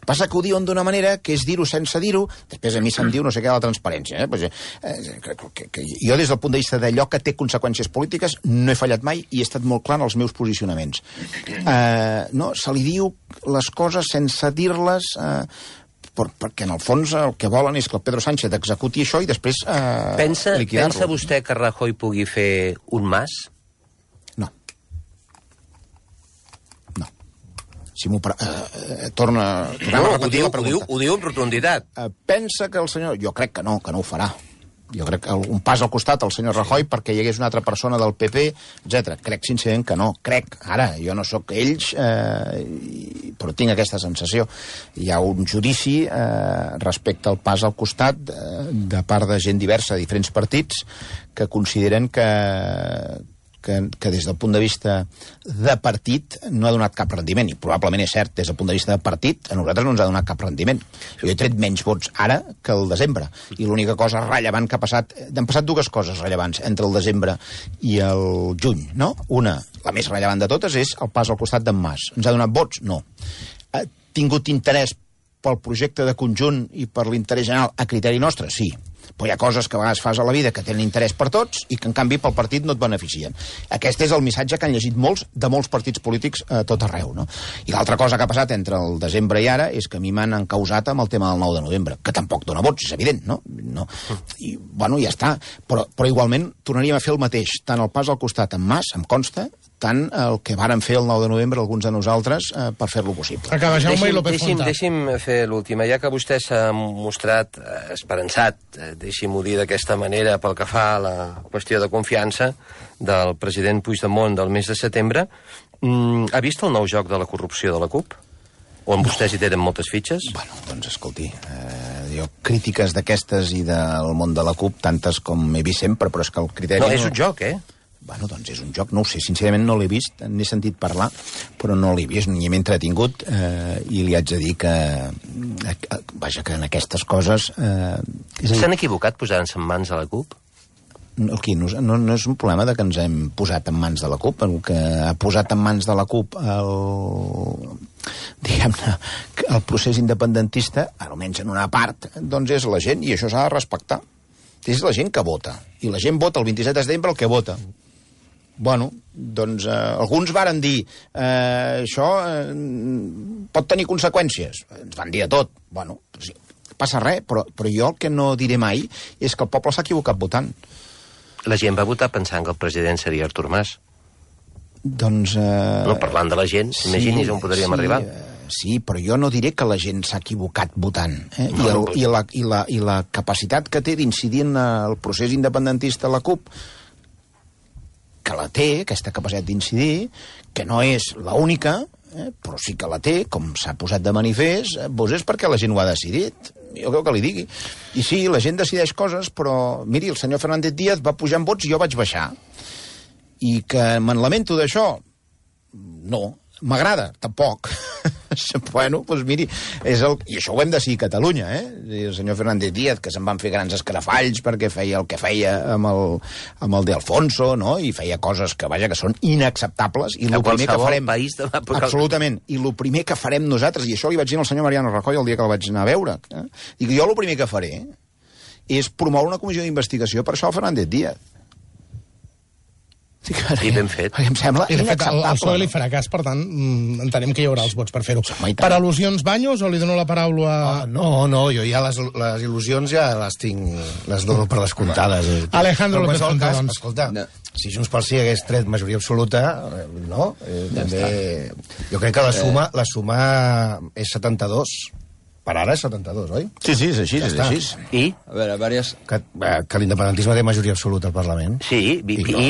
Passa que ho diuen d'una manera que és dir-ho sense dir-ho, després a mi se'm diu no sé què de la transparència. Eh? Pues, eh, que, que, que jo des del punt de vista d'allò que té conseqüències polítiques no he fallat mai i he estat molt clar en els meus posicionaments. Eh, no, se li diu les coses sense dir-les... Eh, Per, perquè en el fons el que volen és que el Pedro Sánchez executi això i després eh, Pensa, liquidar-lo. pensa vostè que Rajoy pugui fer un mas? No. No. Si m'ho... Eh, eh, torna, tornem No, a ho repetir diu, la ho, diu, pregunta. ho diu amb rotunditat. Eh, pensa que el senyor... Jo crec que no, que no ho farà. Jo crec que un pas al costat al senyor Rajoy perquè hi hagués una altra persona del P P, etcètera. Crec sincerament que no. Crec. Ara, jo no sóc ells, eh, però tinc aquesta sensació. Hi ha un judici eh, respecte al pas al costat eh, de part de gent diversa de diferents partits que consideren que, que, que des del punt de vista de partit no ha donat cap rendiment, i probablement és cert, des del punt de vista de partit a nosaltres no ens ha donat cap rendiment. Jo he tret menys vots ara que el desembre, i l'única cosa rellevant que ha passat, han passat dues coses rellevants entre el desembre i el juny, no? Una, la més rellevant de totes, és el pas al costat d'en Mas. Ens ha donat vots? No. Ha tingut interès pel projecte de conjunt i per l'interès general a criteri nostre? Sí. Però hi ha coses que a vegades fas a la vida que tenen interès per tots i que, en canvi, pel partit no et beneficien. Aquest és el missatge que han llegit molts de molts partits polítics a tot arreu, no? I l'altra cosa que ha passat entre el desembre i ara és que a mi m'han encausat amb el tema del nou de novembre, que tampoc dona vots, és evident, no? no. I, bueno, ja està. Però, però igualment tornaríem a fer el mateix, tant el pas al costat amb Mas, em consta, tant el que varen fer el nou de novembre alguns de nosaltres eh, per fer-lo possible. Acaba Jaume Deixi'm, i López deixi'm, Fontà. deixi'm fer l'última. Ja que vostè s'ha mostrat eh, esperançat, eh, deixi'm-ho dir d'aquesta manera, pel que fa a la qüestió de confiança del president Puigdemont del mes de setembre, mm, ha vist el nou joc de la corrupció de la CUP? On vostès hi tenen moltes fitxes? Bueno, doncs escolti, eh, jo crítiques d'aquestes i del món de la CUP, tantes com he vist sempre, però és que el criteri... No, és un joc, eh? Bueno, doncs és un joc, no ho sé, sincerament no l'he vist, n'he sentit parlar, però no l'he vist, ni m'he entretingut, eh, i li haig de dir que, eh, vaja, que en aquestes coses... Eh, S'han equivocat posant-se en mans a la CUP? Aquí no, no, no és un problema de que ens hem posat en mans de la CUP. El que ha posat en mans de la CUP el, diguem-ne, el procés independentista, almenys en una part, doncs és la gent, i això s'ha de respectar. És la gent que vota. I la gent vota el vint-i-set de setembre el que vota. Bueno, doncs eh, alguns varen dir eh, això eh, pot tenir conseqüències. Ens van dir de tot. Bueno, sí, passa res, però, però jo el que no diré mai és que el poble s'ha equivocat votant. La gent va votar pensant que el president seria Artur Mas. Doncs... Eh... No, parlant de la gent, sí, imagini's on podríem sí, arribar. Eh, sí, però jo no diré que la gent s'ha equivocat votant. Eh? I, el, i, la, i, la, I la capacitat que té d'incidir en el procés independentista la CUP, que la té, aquesta capacitat d'incidir, que no és l'única, eh? però sí que la té, com s'ha posat de manifest, eh? doncs és perquè la gent ho ha decidit. Jo crec que li digui. I sí, la gent decideix coses, però, miri, el senyor Fernández Díaz va pujar en vots i jo vaig baixar. I que me'n lamento d'això? No. M'agrada? Tampoc. Bueno, doncs miri, és el... i això ho hem de decidir a Catalunya, eh? El senyor Fernández Díaz, que se'n van fer grans escarafalls perquè feia el que feia amb el, amb el de Alfonso, no? I feia coses que, vaja, que són inacceptables. I el primer que farem... País de absolutament. I el primer que farem nosaltres, i això li vaig dir al senyor Mariano Rajoy el dia que el vaig anar a veure, eh? Dic, jo el primer que faré és promoure una comissió d'investigació per això al Fernández Díaz. Sí, I ben fet. Em sembla I de fet, el, el inacceptable. P S O E li farà cas, per tant, mm, entenem que hi haurà els vots per fer-ho. Home, i tant. Per al·lusions, Baños, o li dono la paraula a... Ah, no, no, jo ja les, les il·lusions ja les tinc, les dono per descomptades. Eh. Alejandro Però en López qualsevol Fonta, cas, doncs. escolta, no. Si Junts pel Sí hagués tret majoria absoluta, eh, no? Eh, ja també... Jo crec que la suma, la suma és setanta-dos. Per ara és setanta-dos, oi? Sí, sí, és així, Ja és està. així. I? A veure, diverses... Que, eh, que l'independentisme té majoria absoluta al Parlament. Sí, i, i, i,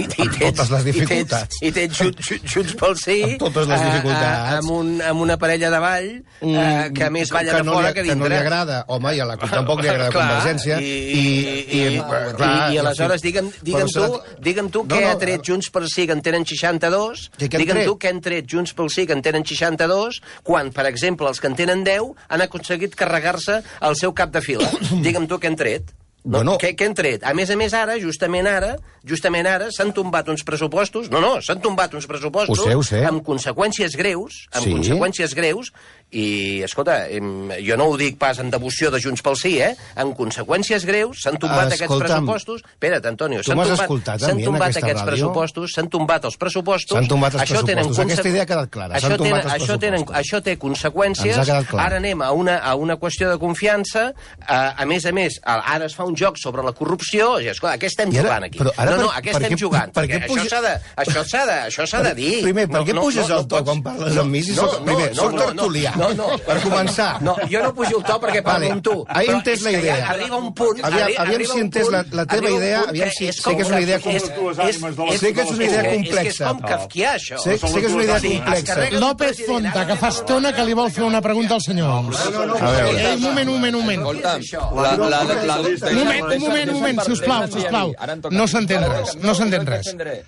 i, i Amb totes les dificultats. I tens, i tens Junts, Junts pel Sí... Amb totes les dificultats. A, a, amb, un, amb una parella de ball eh, que més balla que de no fora li, que que no dintre. li agrada. Home, i a la CUP tampoc li agrada Clar, Convergència. I, I, i, i, clar, i, i aleshores, digue'm, digue'm, però tu, serà- digue'm tu No, què no, ha tret Junts pel Sí, que en tenen seixanta-dos, Què- què han digue'm tret? tu què han tret Junts pel Sí, que en tenen seixanta-dos, quan, per exemple, els que en tenen deu han aconseguit carregar-se al seu cap de fila. Digue'm tu què han tret. No, Bueno. què, què han tret? A més a més, ara, justament ara, justament ara, s'han tombat uns pressupostos, no, no, s'han tombat uns pressupostos Ho sé, ho sé. amb conseqüències greus, amb Sí. conseqüències greus, i, escolta, em, jo no ho dic pas en devoció de Junts pel Sí, eh? Amb conseqüències greus, s'han tombat aquests Escolta'm, pressupostos... Espera't, Antonio, tu s'han m'has tombat, escoltat a s'han mi en tombat aquesta aquests ràdio? pressupostos, s'han tombat els pressupostos... S'han tombat els això tenen pressupostos. Aquesta conse- idea ha quedat clara. Això, S'han tombat tenen, els això, tenen, pressupostos. això té conseqüències. Ens ha quedat clar. Ara anem a una, a una qüestió de confiança. A, a més a més, ara es fa un joc sobre la corrupció. I, escolta, què estem I ara- jugant aquí? però ara no, no, per- a què per estem què- jugant? per Perquè què això puja- s'ha de, això s'ha de, això s'ha de dir. Primer, per què No, no, puges no, el to pots- quan parles amb mi? Si no, soc, no, primer, no, soc no, no, tertulià. no, no, Per començar. No, jo no pujo el to perquè parlo Vale, amb tu. he Però entès és la que idea. ja arriba un punt... Aviam- arri- aviam arriba si he un entès punt- la- la teva arriba un idea, punt aviam que si- és sé com que és una idea és- com- és- dues és- ànimes de les- Sé que és una idea és que- És que és complexa. com kafkià, això. Sé, sé que és una idea Sí, es complexa. carrega- López Fonta, que fa estona que li vol fer una pregunta al senyor Homs. A veure. Ei, un moment, un moment, un moment. Escolta'm, la, la, la, la, Un moment, un moment, un moment, sisplau, sisplau. No s'entén res, no s'entén res.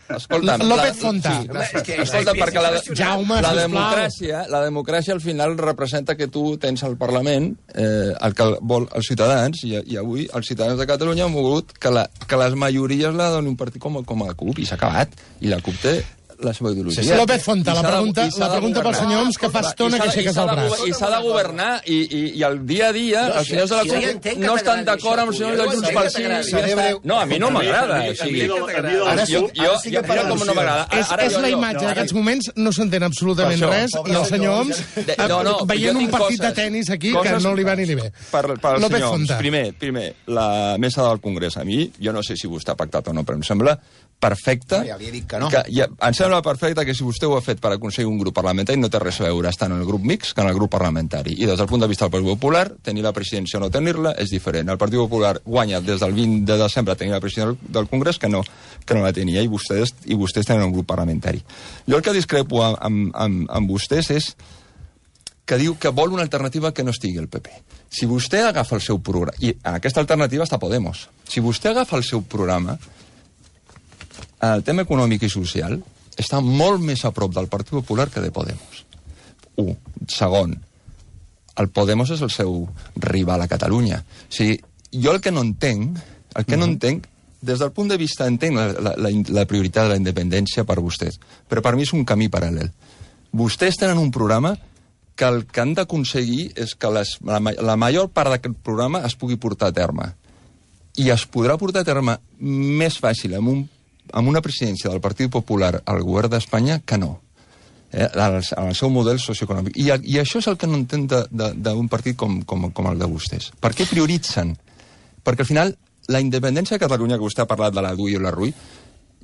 Escolta'm, López la- Fonta. Sí, escolta, perquè la, Jaume, la sisplau. democràcia, la democràcia al final representa que tu tens al Parlament eh, el que vol els ciutadans, i, i avui els ciutadans de Catalunya han volgut que, la, que les majories la doni un partit com, com la CUP, i s'ha acabat. I la CUP té la seva ideologia. Sí, sí. López Fonta, I la s'ha de- pregunta- i s'ha la de pregunta pel governar. senyor Homs, que fa estona I s'ha que de- aixeques i s'ha el de braç. gover- I s'ha de governar, i, i, i el dia a dia No, els senyors de la si- si jo ja CUP entenc que no estan t'agradi d'acord amb això, els senyors tu. de Jo Junts entenc pel que Sí. t'agradi. i ja està. No, a mi no m'agrada. O sigui, Ara sí- jo, jo, ara sí que jo, mira com no m'agrada. És, Ara és jo- la jo- imatge d'aquests moments, no s'entén absolutament Per això. res, i el senyor Homs De- eh, no, no, veient jo un tinc partit de coses- tennis aquí que coses no li va ni li ve. Per, per López senyor Homs, Fonta. primer, primer, la mesa del Congrés. A mi, jo no sé si vostè ha pactat o no, però em sembla perfecte... No, ja li he dit que no. Que, ja, em sembla perfecte que si vostè ho ha fet per aconseguir un grup parlamentari no té res a veure estar en el grup mix que en el grup parlamentari. I des del punt de vista del Partit Popular, tenir la presidència o no tenir-la és diferent. El Partit Popular guanya des del vint de desembre tenir la presidència del Congrés que no, que no la tenia, i vostès, i vostès tenen un grup parlamentari. Jo el que discrepo amb, amb, amb, amb vostès és que diu que vol una alternativa que no estigui el P P. Si vostè agafa el seu programa, i en aquesta alternativa està Podemos, si vostè agafa el seu programa, el tema econòmic i social està molt més a prop del Partit Popular que de Podemos. Un. Segon, el Podemos és el seu rival a Catalunya. O sigui, jo el que no entenc, el que no entenc, des del punt de vista, entenc la, la, la, la prioritat de la independència per vostès, però per mi és un camí paral·lel. Vostès tenen un programa que el que han d'aconseguir és que les, la, la major part d'aquest programa es pugui portar a terme. I es podrà portar a terme més fàcil amb, un, amb una presidència del Partit Popular al govern d'Espanya que no. Eh, en el seu model socioeconòmic. I, I això és el que no entenc d'un partit com, com, com el de vostès. Per què prioritzen? Perquè al final, la independència de Catalunya, que vostè ha parlat de la D U I o la R U I,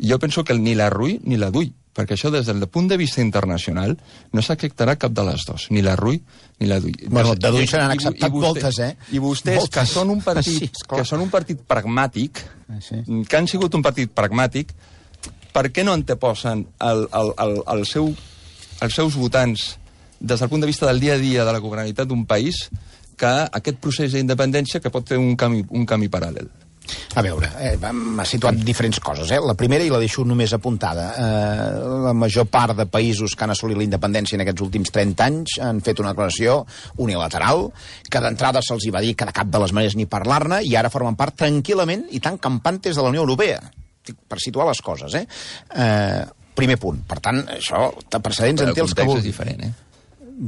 jo penso que ni la R U I ni la D U I, perquè això des del punt de vista internacional no s'acceptarà cap de les dues, ni la R U I ni la D U I. Bueno, de D U I se n'han acceptat I, i vostè, moltes, eh? I vostès, moltes. que són un partit, sí, que són un partit pragmàtic, sí. que han sigut un partit pragmàtic, per què no anteposen el, el, el, el seu els seus votants des del punt de vista del dia a dia de la governabilitat d'un país que aquest procés d'independència que pot fer un camí, un camí paral·lel? A veure, eh, m'ha situat diferents coses. Eh? La primera, i la deixo només apuntada, eh, la major part de països que han assolit la independència en aquests últims trenta anys han fet una declaració unilateral, que d'entrada se'ls hi va dir que de cap de les maneres ni parlar-ne, i ara formen part tranquil·lament i tan campantes de la Unió Europea. Per situar les coses, eh? eh Primer punt. Per tant, això, de precedents en té els que vulgui. És diferent, eh?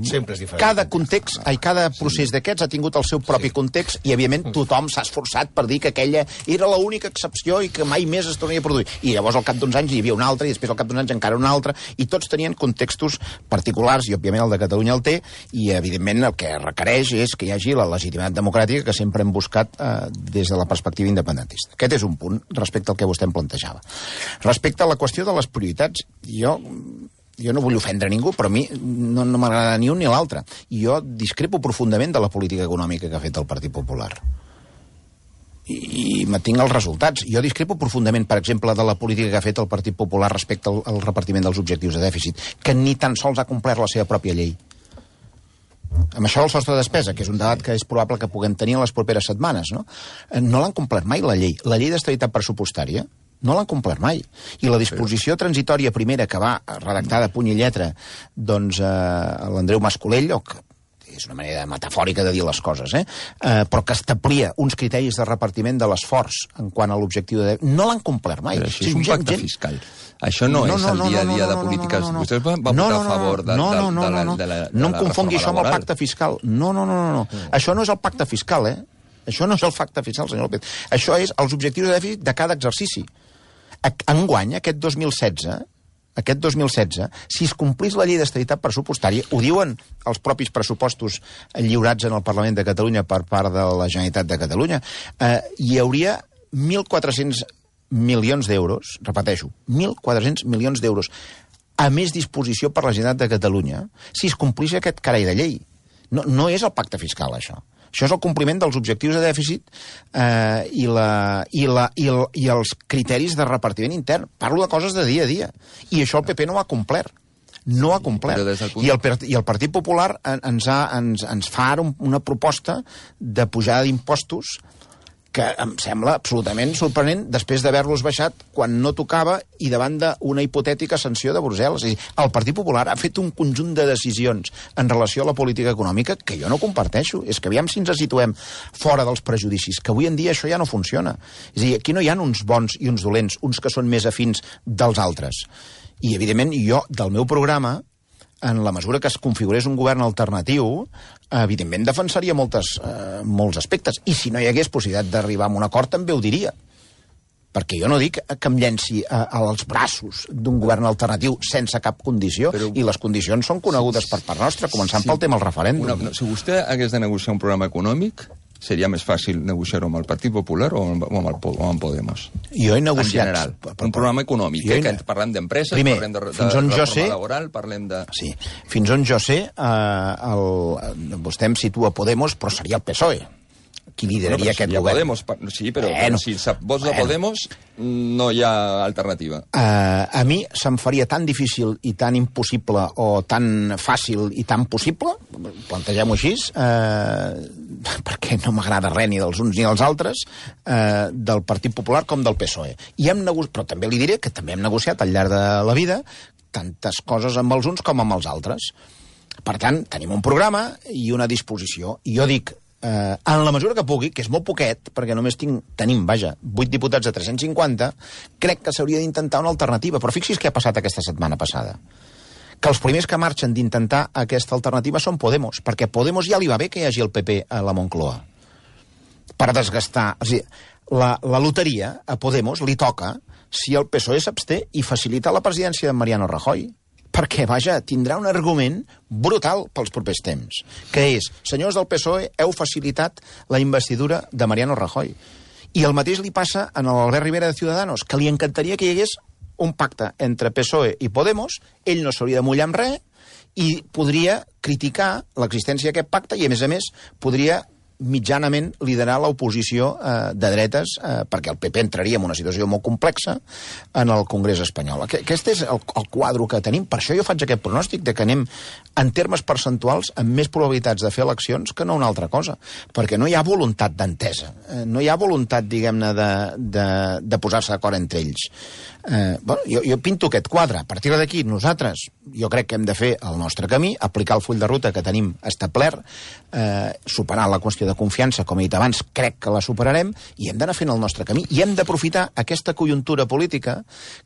Sempre és diferent. Cada context, ai, cada procés d'aquests ha tingut el seu propi sí. context i, evidentment, tothom s'ha esforçat per dir que aquella era l'única excepció i que mai més es tornaria a produir. I llavors, al cap d'uns anys, hi havia una altra, i després, al cap d'uns anys, encara una altra, i tots tenien contextos particulars, i, òbviament, el de Catalunya el té, i, evidentment, el que requereix és que hi hagi la legitimitat democràtica que sempre hem buscat eh, des de la perspectiva independentista. Aquest és un punt respecte al que vostè em plantejava. Respecte a la qüestió de les prioritats, jo... Jo no vull ofendre ningú, però a mi no, no m'agrada ni un ni l'altre. I jo discrepo profundament de la política econòmica que ha fet el Partit Popular. I, i mantinc els resultats. Jo discrepo profundament, per exemple, de la política que ha fet el Partit Popular respecte al, al repartiment dels objectius de dèficit, que ni tan sols ha complert la seva pròpia llei. Amb això del sostre de despesa, que és un debat que és probable que puguem tenir en les properes setmanes, no? No l'han complert mai, la llei. La llei d'estabilitat pressupostària no l'han complert mai. I la disposició transitòria primera que va redactar de puny i lletra doncs, eh, l'Andreu Mascolell, o que és una manera metafòrica de dir les coses, eh? Eh, però que establia uns criteris de repartiment de l'esforç en quant a l'objectiu de... No l'han complert mai. Però això és un pacte gent... fiscal. Això no, no és el dia a dia de polítiques. Vostès van votar a favor de, no, no, de, no, de, no, de, la, de la no em confongui això amb el pacte fiscal. No, no, no, no. no. Mm. Això no és el pacte fiscal, eh? Això no és el pacte fiscal, senyor López. Això és els objectius de dèficit de cada exercici. Enguany, aquest dos mil setze, aquest dos mil setze, si es complís la llei d'estabilitat pressupostària, ho diuen els propis pressupostos lliurats en el Parlament de Catalunya per part de la Generalitat de Catalunya, eh, hi hauria mil quatre-cents milions d'euros, repeteixo, mil quatre-cents milions d'euros a més disposició per la Generalitat de Catalunya si es complís aquest carai de llei. No, no és el pacte fiscal, això. Això és el compliment dels objectius de dèficit eh, i, la, i, la, i, el, i els criteris de repartiment intern. Parlo de coses de dia a dia. I això el P P no ho ha complert. No ho ha complert. Punt... I, el, I el Partit Popular ens, ha, ens, ens fa ara una proposta de pujada d'impostos que em sembla absolutament sorprenent després d'haver-los baixat quan no tocava i davant d'una hipotètica sanció de Brussel·les. És a dir, el Partit Popular ha fet un conjunt de decisions en relació a la política econòmica que jo no comparteixo. És que aviam si ens situem fora dels prejudicis, que avui en dia això ja no funciona. És a dir, aquí no hi ha uns bons i uns dolents, uns que són més afins dels altres. I, evidentment, jo, del meu programa, en la mesura que es configurés un govern alternatiu, evidentment defensaria moltes, eh, molts aspectes. I si no hi hagués possibilitat d'arribar a un acord, també ho diria. Perquè jo no dic que em llenci a, als braços d'un govern alternatiu sense cap condició, però... i les condicions són conegudes per part nostra, començant sí. pel tema del referèndum. Una, no, si vostè hagués de negociar un programa econòmic, seria més fàcil negociar-ho amb el Partit Popular o amb, o amb, el, o amb Podemos? Jo he negociat... En general, per, per, un programa econòmic, he... que parlem d'empreses, parlem de, de, de reforma sé... laboral, parlem de... Sí, fins on jo sé, eh, el, vostè em situa Podemos, però seria el P S O E. Qui lideraria bueno, aquest si govern. Podemos, sí, però bueno, si vots de bueno. Podemos no hi ha alternativa. Uh, a mi se'm faria tan difícil i tan impossible o tan fàcil i tan possible, plantegem-ho així, uh, perquè no m'agrada res ni dels uns ni dels altres, uh, del Partit Popular com del P S O E. I hem nego... Però també li diré que també hem negociat al llarg de la vida tantes coses amb els uns com amb els altres. Per tant, tenim un programa i una disposició. I jo dic, eh, en la mesura que pugui, que és molt poquet, perquè només tinc, tenim, vaja, vuit diputats de tres-cents cinquanta, crec que s'hauria d'intentar una alternativa. Però fixi's què ha passat aquesta setmana passada. Que els primers que marxen d'intentar aquesta alternativa són Podemos, perquè Podemos ja li va bé que hi hagi el P P a la Moncloa. Per desgastar... O sigui, la, la loteria a Podemos li toca si el P S O E s'absté i facilita la presidència de Mariano Rajoy. Perquè, vaja, tindrà un argument brutal pels propers temps, que és, senyors del P S O E, heu facilitat la investidura de Mariano Rajoy. I el mateix li passa a l'Albert Rivera de Ciudadanos, que li encantaria que hi hagués un pacte entre P S O E i Podemos, ell no s'hauria de mullar amb res, i podria criticar l'existència d'aquest pacte i, a més a més, podria mitjanament liderar l'oposició eh, de dretes, eh, perquè el P P entraria en una situació molt complexa en el Congrés espanyol. Aquest és el, el quadre que tenim. Per això jo faig aquest pronòstic de que anem, en termes percentuals, amb més probabilitats de fer eleccions que no una altra cosa, perquè no hi ha voluntat d'entesa, eh, no hi ha voluntat, diguem-ne, de, de, de posar-se d'acord entre ells. Eh, bueno, jo, jo pinto aquest quadre. A partir d'aquí, nosaltres, jo crec que hem de fer el nostre camí, aplicar el full de ruta que tenim establert, eh, superar la qüestió de confiança, com he dit abans, crec que la superarem, i hem d'anar fent el nostre camí. I hem d'aprofitar aquesta conjuntura política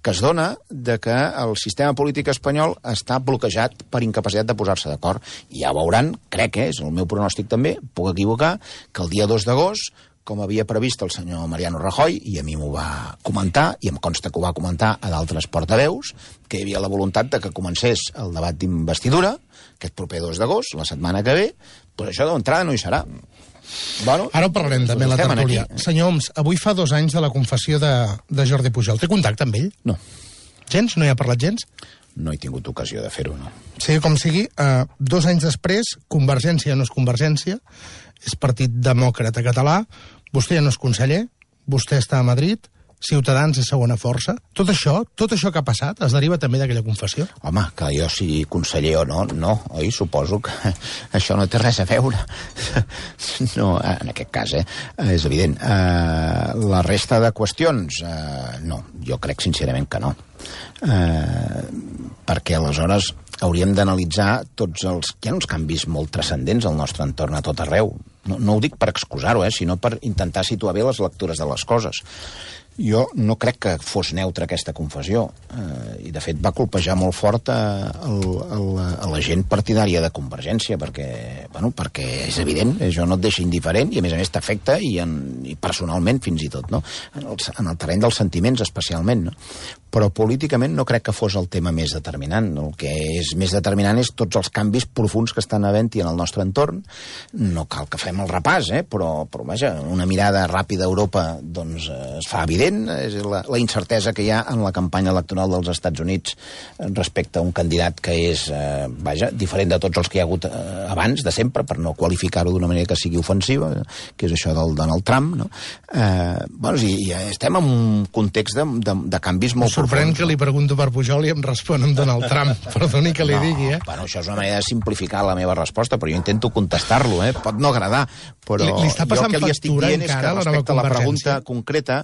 que es dona de que el sistema polític espanyol està bloquejat per incapacitat de posar-se d'acord. I ja veuran, crec que és el meu pronòstic també, puc equivocar, que el dia dos d'agost, com havia previst el senyor Mariano Rajoy, i a mi m'ho va comentar, i em consta que ho va comentar a d'altres portaveus, que hi havia la voluntat de que comencés el debat d'investidura, aquest proper dos d'agost, la setmana que ve, però això d'entrada no hi serà. Bueno, ara ho parlarem també a la tertúlia. Senyor Homs, avui fa dos anys de la confessió de, de Jordi Pujol. Té contacte amb ell? No. Gens? No hi ha parlat gens? No he tingut ocasió de fer-ho, no. Sigui com sigui, eh, dos anys després, Convergència no és Convergència, és Partit Demòcrata Català, vostè ja no és conseller, vostè està a Madrid, Ciutadans és segona força. Tot això, tot això que ha passat, es deriva també d'aquella confessió? Home, que jo sigui conseller o no, no, oi? Suposo que això no té res a veure. No, en aquest cas, eh? És evident. Uh, la resta de qüestions, uh, no, jo crec sincerament que no. Uh, perquè aleshores hauríem d'analitzar tots els... Hi ha uns canvis molt transcendents al nostre entorn a tot arreu. No, no ho dic per excusar-ho, eh, sinó per intentar situar bé les lectures de les coses. Jo no crec que fos neutra aquesta confessió, eh, i de fet va colpejar molt fort a, a, a, a la gent partidària de Convergència, perquè, bueno, perquè és evident, això no et deixa indiferent i a més a més t'afecta i, en, i personalment fins i tot, no? En el, en el terreny dels sentiments especialment, no? Però políticament no crec que fos el tema més determinant. El que és més determinant és tots els canvis profunds que estan havent-hi en el nostre entorn. No cal que fem el repàs, eh? però, però vaja, una mirada ràpida a Europa doncs, es fa evident, és la, la incertesa que hi ha en la campanya electoral dels Estats Units respecte a un candidat que és, eh, vaja, diferent de tots els que hi ha hagut eh, abans, de sempre, per no qualificar-ho d'una manera que sigui ofensiva, que és això del Donald Trump, no? Eh, bueno, sí, estem en un context de, de, de canvis molt sorprèn que li pregunto per Pujol i em respon amb Donald Trump. Perdoni que li no, digui, eh? Bueno, això és una manera de simplificar la meva resposta, però jo intento contestar-lo, eh? Pot no agradar, però li, li està jo el que li estic dient és que respecte a la pregunta concreta,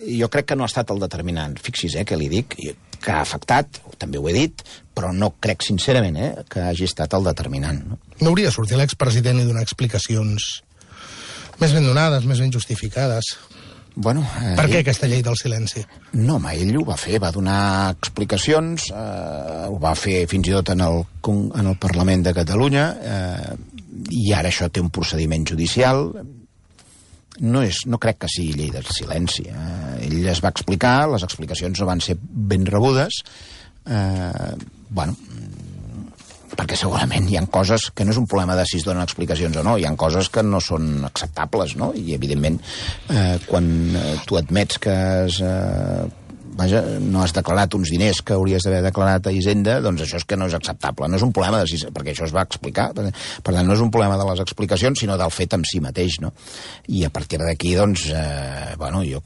jo crec que no ha estat el determinant. Fixi's, eh, que li dic, que ha afectat, també ho he dit, però no crec sincerament eh, que hagi estat el determinant. No, no hauria de sortir l'expresident i donar explicacions més ben donades, més ben justificades? Bueno, eh, per què aquesta llei del silenci? No, home, ell ho va fer, va donar explicacions, eh, ho va fer fins i tot en el, en el Parlament de Catalunya, eh, i ara això té un procediment judicial. No, és, no crec que sigui llei del silenci. Eh, ell es va explicar, les explicacions no van ser ben rebudes, eh, bueno, perquè segurament hi ha coses que no és un problema de si es donen explicacions o no, hi ha coses que no són acceptables, no? I evidentment eh, quan tu admets que has, eh, vaja, no has declarat uns diners que hauries d'haver declarat a Hisenda, doncs això és que no és acceptable, no és un problema de si, perquè això es va explicar, per tant no és un problema de les explicacions sinó del fet en si mateix, no? I a partir d'aquí doncs eh, bueno, jo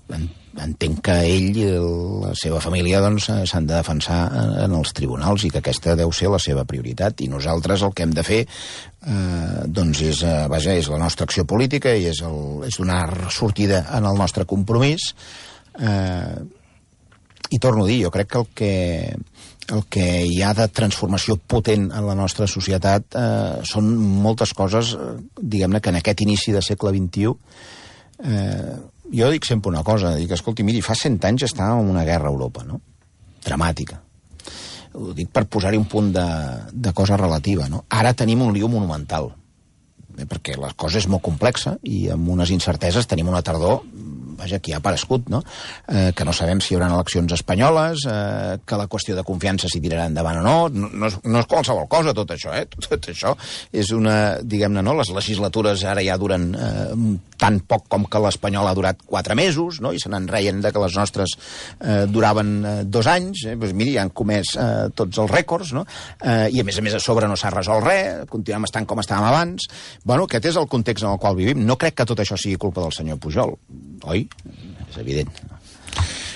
entenc que ell i la seva família doncs, s'han de defensar en els tribunals i que aquesta deu ser la seva prioritat. I nosaltres el que hem de fer eh, doncs és, eh, vaja, és la nostra acció política i és, el, és donar sortida en el nostre compromís. Eh, i torno a dir, jo crec que el que el que hi ha de transformació potent en la nostra societat eh, són moltes coses, eh, diguem-ne, que en aquest inici de segle vint-i-u eh, jo dic sempre una cosa, dic, escolti, miri, fa cent anys estàvem en una guerra a Europa, no? Dramàtica. Ho dic per posar-hi un punt de, de cosa relativa, no? Ara tenim un lío monumental, eh, perquè la cosa és molt complexa i amb unes incerteses tenim una tardor, vaja, que ha aparegut, no? Eh, que no sabem si hi haurà eleccions espanyoles, eh, que la qüestió de confiança si tirarà endavant o no, no, no, és, no és qualsevol cosa tot això, eh? Tot, tot això és una, diguem-ne, no? Les legislatures ara ja duren eh, tan poc com que l'espanyol ha durat quatre mesos, no? I se n'en reien de que les nostres eh, duraven eh, dos anys, eh? Pues miri, han comès eh, tots els rècords, no? Eh, I a més a més a sobre no s'ha resolt res, continuem estant com estàvem abans. Bueno, aquest és el context en el qual vivim. No crec que tot això sigui culpa del senyor Pujol, oi? És evident.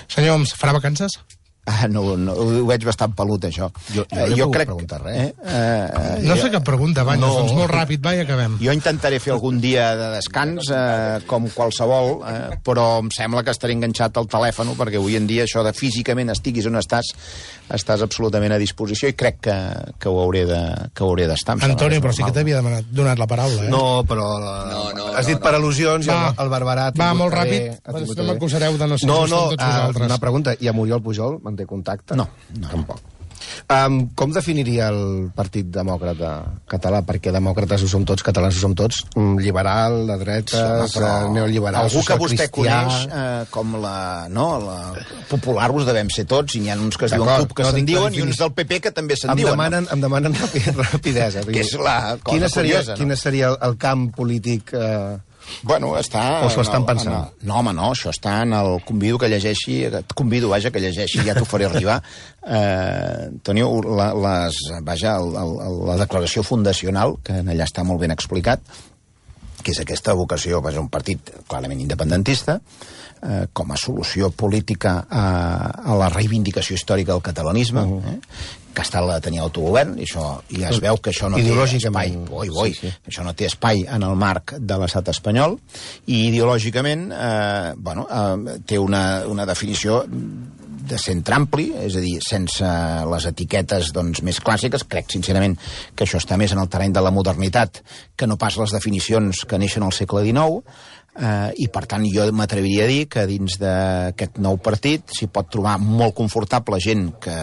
Senyor Homs, farà vacances? Ah, no, no, ho veig bastant pelut, això. Jo, jo, eh, jo crec... preguntar res. Eh, eh, No jo, sé cap pregunta, Banyes, No. doncs molt ràpid, va, i acabem. jo intentaré fer algun dia de descans, eh, com qualsevol, eh, però em sembla que estaré enganxat al telèfon, perquè avui en dia això de físicament estiguis on estàs, estàs absolutament a disposició i crec que, que ho hauré de, que ho hauré d'estar. Antonio, però sí que t'havia demanat, donat la paraula, eh? No, però la... No, no, has dit no, per al·lusions Va. i el, el Barberat... Va, ha tingut molt que ràpid, bé, ha perquè tingut si no que bé. m'acusareu de no ser No, just no, amb tots uh, vosaltres. una pregunta. I a Muriel Pujol manté contacte? No, no. Tampoc. Um, com definiria el Partit Demòcrata català? Perquè demòcrates ho som tots, catalans ho som tots, mm, liberal, de dretes, Sí, home, eh, neoliberal, algú que vostè socialcristià... coneix eh, com la, no, la popular us devem ser tots, i n'hi ha uns que es diuen D'acord, CUP que no se'n dic diuen la i uns del P P que també se'n Em diuen. demanen, em demanen rapi- rapidesa. Que és la cosa quina seria, curiosa, no? Quina seria el, el camp polític... Eh, Bueno, està... O s'ho en estan el- pensant? en el- No, home, no, això està en el... Convido que llegeixi... Et convido, vaja, que llegeixi, ja t'ho faré arribar. Eh, Antonio, la, les, vaja, el, el, la declaració fundacional, que en allà està molt ben explicat, que és aquesta vocació, vaja, un partit clarament independentista, eh, com a solució política a, a la reivindicació històrica del catalanisme, uh -huh. eh, que ha estat la de tenir autogovern, i això ja es veu que això no té espai, oi, oi, sí, sí. això no té espai en el marc de l'estat espanyol, i ideològicament eh, bueno, eh, té una, una definició de centre ampli, és a dir, sense les etiquetes doncs, més clàssiques. Crec, sincerament, que això està més en el terreny de la modernitat que no pas les definicions que neixen al segle dinou, eh, i, per tant, jo m'atreviria a dir que dins d'aquest nou partit s'hi pot trobar molt confortable gent que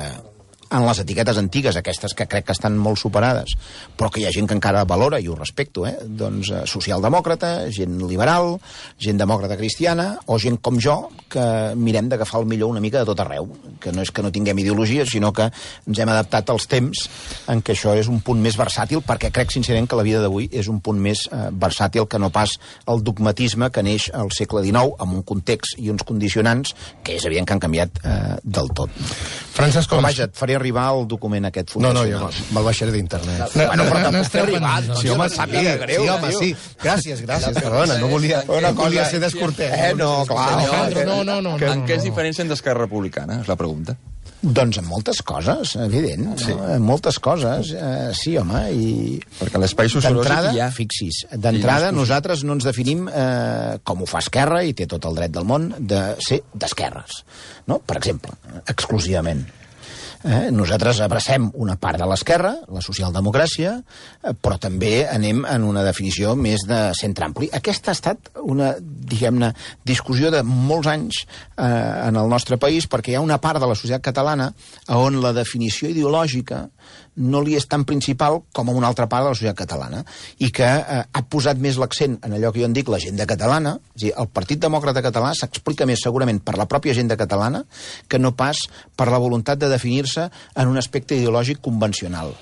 en les etiquetes antigues, aquestes que crec que estan molt superades, però que hi ha gent que encara valora, i ho respecto, eh? Doncs eh, socialdemòcrata, gent liberal, gent demòcrata cristiana, o gent com jo, que mirem d'agafar el millor una mica de tot arreu, que no és que no tinguem ideologia, sinó que ens hem adaptat als temps en què això és un punt més versàtil, perquè crec sincerament que la vida d'avui és un punt més eh, versàtil que no pas el dogmatisme que neix al segle dinou, amb un context i uns condicionants que és evident que han canviat eh, del tot. Francesc Però Homs. vaja, et faré arribar el document aquest No, no, fundacional. jo me'l baixaré d'internet. No, Bueno, però no, tampoc no t'he esteu arribat. pendents, Sí, no home, em sí, sàpiga greu, sí, home, tio. sí. Gràcies, gràcies, perdona, no volia, Una no volia cosa- ser descortès. Eh, no, clar. Alejandro, no, no, no. En no, què es no. diferencien d'Esquerra Republicana, és la pregunta. Doncs en moltes coses, evident. Sí. No? En moltes coses, eh, sí, home, i... Perquè a l'espai sociològic D'entrada, hi ha... fixis, hi d'entrada ha nosaltres no ens definim, eh, com ho fa Esquerra, i té tot el dret del món, de ser d'esquerres, no? Per exemple, exclusivament. Eh? Nosaltres abracem una part de l'esquerra, la socialdemocràcia, eh, però també anem en una definició més de centre ampli. Aquesta ha estat una, diguem-ne, discussió de molts anys eh, en el nostre país, perquè hi ha una part de la societat catalana on la definició ideològica no li és tan principal com a una altra part de la societat catalana, i que eh, ha posat més l'accent en allò que jo en dic l'agenda catalana. És a dir, el Partit Demòcrata Català s'explica més segurament per la pròpia agenda catalana que no pas per la voluntat de definir-se en un aspecte ideològic convencional.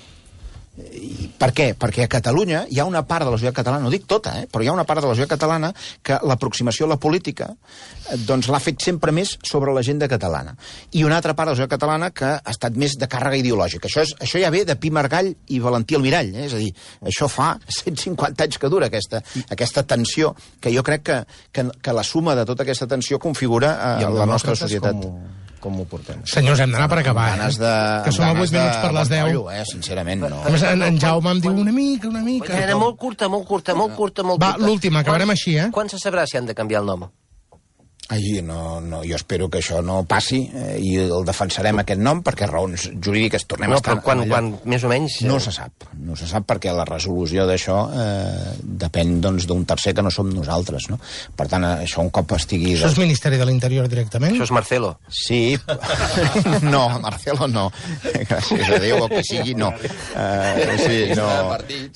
I per què? Perquè a Catalunya hi ha una part de la societat catalana, no dic tota, eh, però hi ha una part de la societat catalana que l'aproximació a la política eh, doncs l'ha fet sempre més sobre l'agenda catalana. I una altra part de la societat catalana que ha estat més de càrrega ideològica. Això, és, això ja ve de Pi Margall i Valentí Almirall, eh? És a dir, això fa cent cinquanta anys que dura aquesta, aquesta tensió, que jo crec que, que, que la suma de tota aquesta tensió configura eh, la nostra societat. Com, com ho portem? Senyors, hem d'anar per acabar, Ganes eh? de, Que som a vuit minuts per les deu. Rotllo, eh? Sincerament, no. A més, en, en Jaume em diu una mica, una mica. Era molt curta, molt curta, molt curta, molt Va, curta. l'última, acabarem Quan- així, eh? Quan se sabrà si han de canviar el nom? Ai, no, no, jo espero que això no passi eh, i el defensarem aquest nom perquè raons jurídiques tornem no, a estar... però quan, quan, més o menys... No se sap, no se sap perquè la resolució d'això eh, depèn doncs d'un tercer que no som nosaltres, no? Per tant, això un cop estigui... Això és Ministeri de l'Interior directament? Això és Marcelo. Sí, no, Marcelo no. Gràcies a Déu, o que sigui, no. Uh, sí, no.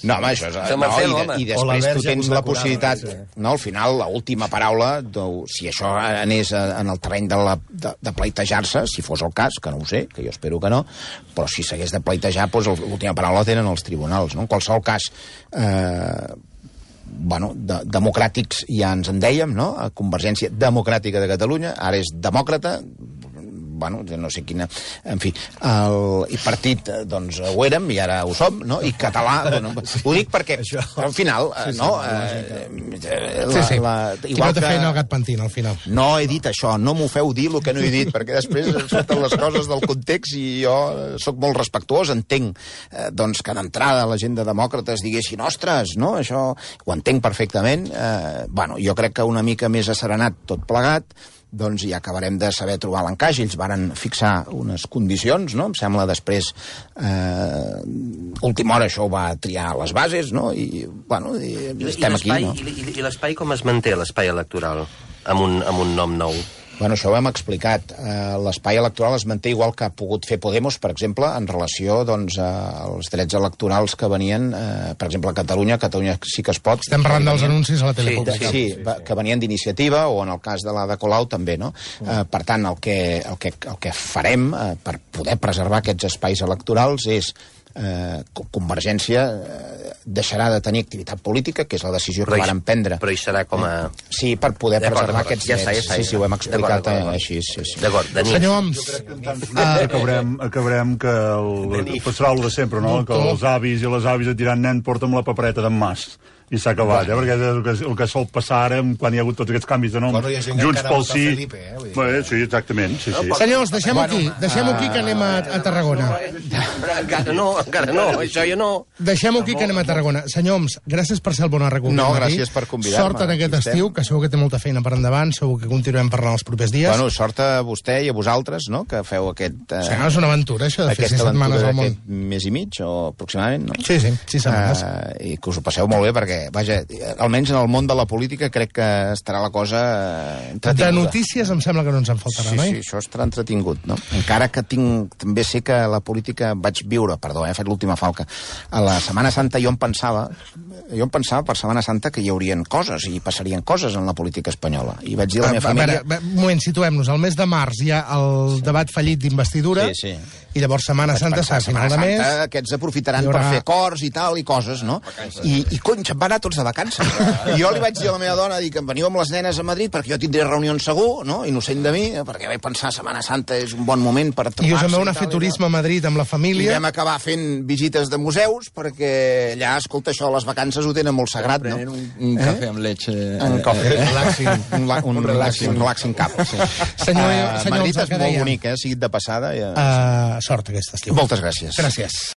No, home, això és... Això és Marcelo, no, i, home. I després tu tens la possibilitat... No, al final, l'última paraula, si això anés en el terreny de, la, de, de pleitejar-se, si fos el cas, que no ho sé, que jo espero que no, però si s'hagués de pleitejar, doncs l'última paraula la tenen els tribunals, no? En qualsevol cas, eh, bueno, de, democràtics ja ens en dèiem, no? A Convergència Democràtica de Catalunya, ara és demòcrata, bueno, no sé quina... En fi, el i partit, doncs, ho érem i ara ho som, no? I català, bueno, ho dic perquè, al final, sí, sí, no... Eh, la, sí, sí. La, igual que... feina el gat pentina, al final. No he dit això, no m'ho feu dir el que no he dit, perquè després surten les coses del context i jo sóc molt respectuós, entenc, eh, doncs, que d'entrada la gent de demòcrates diguessin, ostres, no? Això ho entenc perfectament. Eh, bueno, jo crec que una mica més asserenat tot plegat, doncs ja acabarem de saber trobar l'encaix. Ells varen fixar unes condicions, no? Em sembla després, eh, última hora això ho va triar a les bases, no? I, bueno, i, I estem aquí, no? I, i, i l'espai com es manté, l'espai electoral, amb un, amb un nom nou? Bueno, això ho hem explicat. Uh, l'espai electoral es manté igual que ha pogut fer Podemos, per exemple, en relació doncs, als drets electorals que venien, uh, per exemple, a Catalunya, Catalunya sí que es pot. Estem parlant dels anuncis a la tele pública. Sí, sí, sí, que venien d'Iniciativa, o en el cas de l'Ada Colau també, no? Uh, per tant, el que, el que, el que farem uh, per poder preservar aquests espais electorals és Eh, Convergència eh, deixarà de tenir activitat política, que és la decisió que varen prendre. Però hi serà com a... Sí, per poder preservar aquests ja drets. està, ja està, sí, sí, ho hem explicat així. Sí, sí. D'acord, Denis. Senyor Homs, uh, acabarem, acabarem que el, passarà el de sempre, no? Que els avis i les avis et diran, nen, porta'm la papereta d'en Mas. I s'ha acabat, eh? Perquè és el que, el que sol passar ara quan hi ha hagut tots aquests canvis de nom. Bueno, Junts pel sí. Felipe, eh? Bé, sí, exactament. Sí, sí. Senyors, deixem-ho aquí. Deixem-ho aquí que anem a, a Tarragona. Encara no, encara no, això ja no. Deixem-ho aquí que anem a Tarragona. Senyor Homs, gràcies per ser el bon arreglo. No, gràcies per convidar-me. Sort en aquest estiu, que segur que té molta feina per endavant, segur que continuem parlant els propers dies. Bueno, sort a vostè i a vosaltres, no?, que feu aquest... Eh, sí, és una aventura, això, de fer sis setmanes al món. Mes i mig, o aproximadament, no? Sí, sí, sis setmanes. Uh, I que us ho passeu molt bé, perquè, vaja, almenys en el món de la política crec que estarà la cosa entretinguda. De notícies em sembla que no ens en faltarà, sí, no? Sí, això estarà entretingut, no? Encara que tinc... També sé que la política vaig viure, perdó, eh, he fet l'última falca. A la Setmana Santa jo em pensava, jo em pensava per Setmana Santa que hi haurien coses, i passarien coses en la política espanyola. I vaig dir a la meva família... A veure, un moment, situem-nos. Al mes de març hi ha el sí. debat fallit d'investidura, sí, sí. I llavors Setmana Santa s'ha final de mes... Aquests aprofitaran haurà... per fer cors i tal, i coses, no? Vacances. I, i cony, se'n van anar tots de vacances. I jo li vaig dir a la meva dona, dic, em veniu amb les nenes a Madrid perquè jo tindré reunions segur, no? Innocent de mi, perquè vaig pensar Setmana Santa és un bon moment per trobar-se. I us en veu anar a fer turisme a Madrid amb la família. I vam acabar fent visites de museus, perquè allà, escolta, això, les vacances ho tenen molt sagrat, no? Un, un eh? cafè amb leche... Un cafè. Eh? Relaxing. Un, la, un, un relaxing, relaxing cap, sí. Senyor, uh, senyor Madrid és molt bonic, eh? Sigui de passada. Ja... Uh, sort aquest estiu. Moltes gràcies. Gràcies.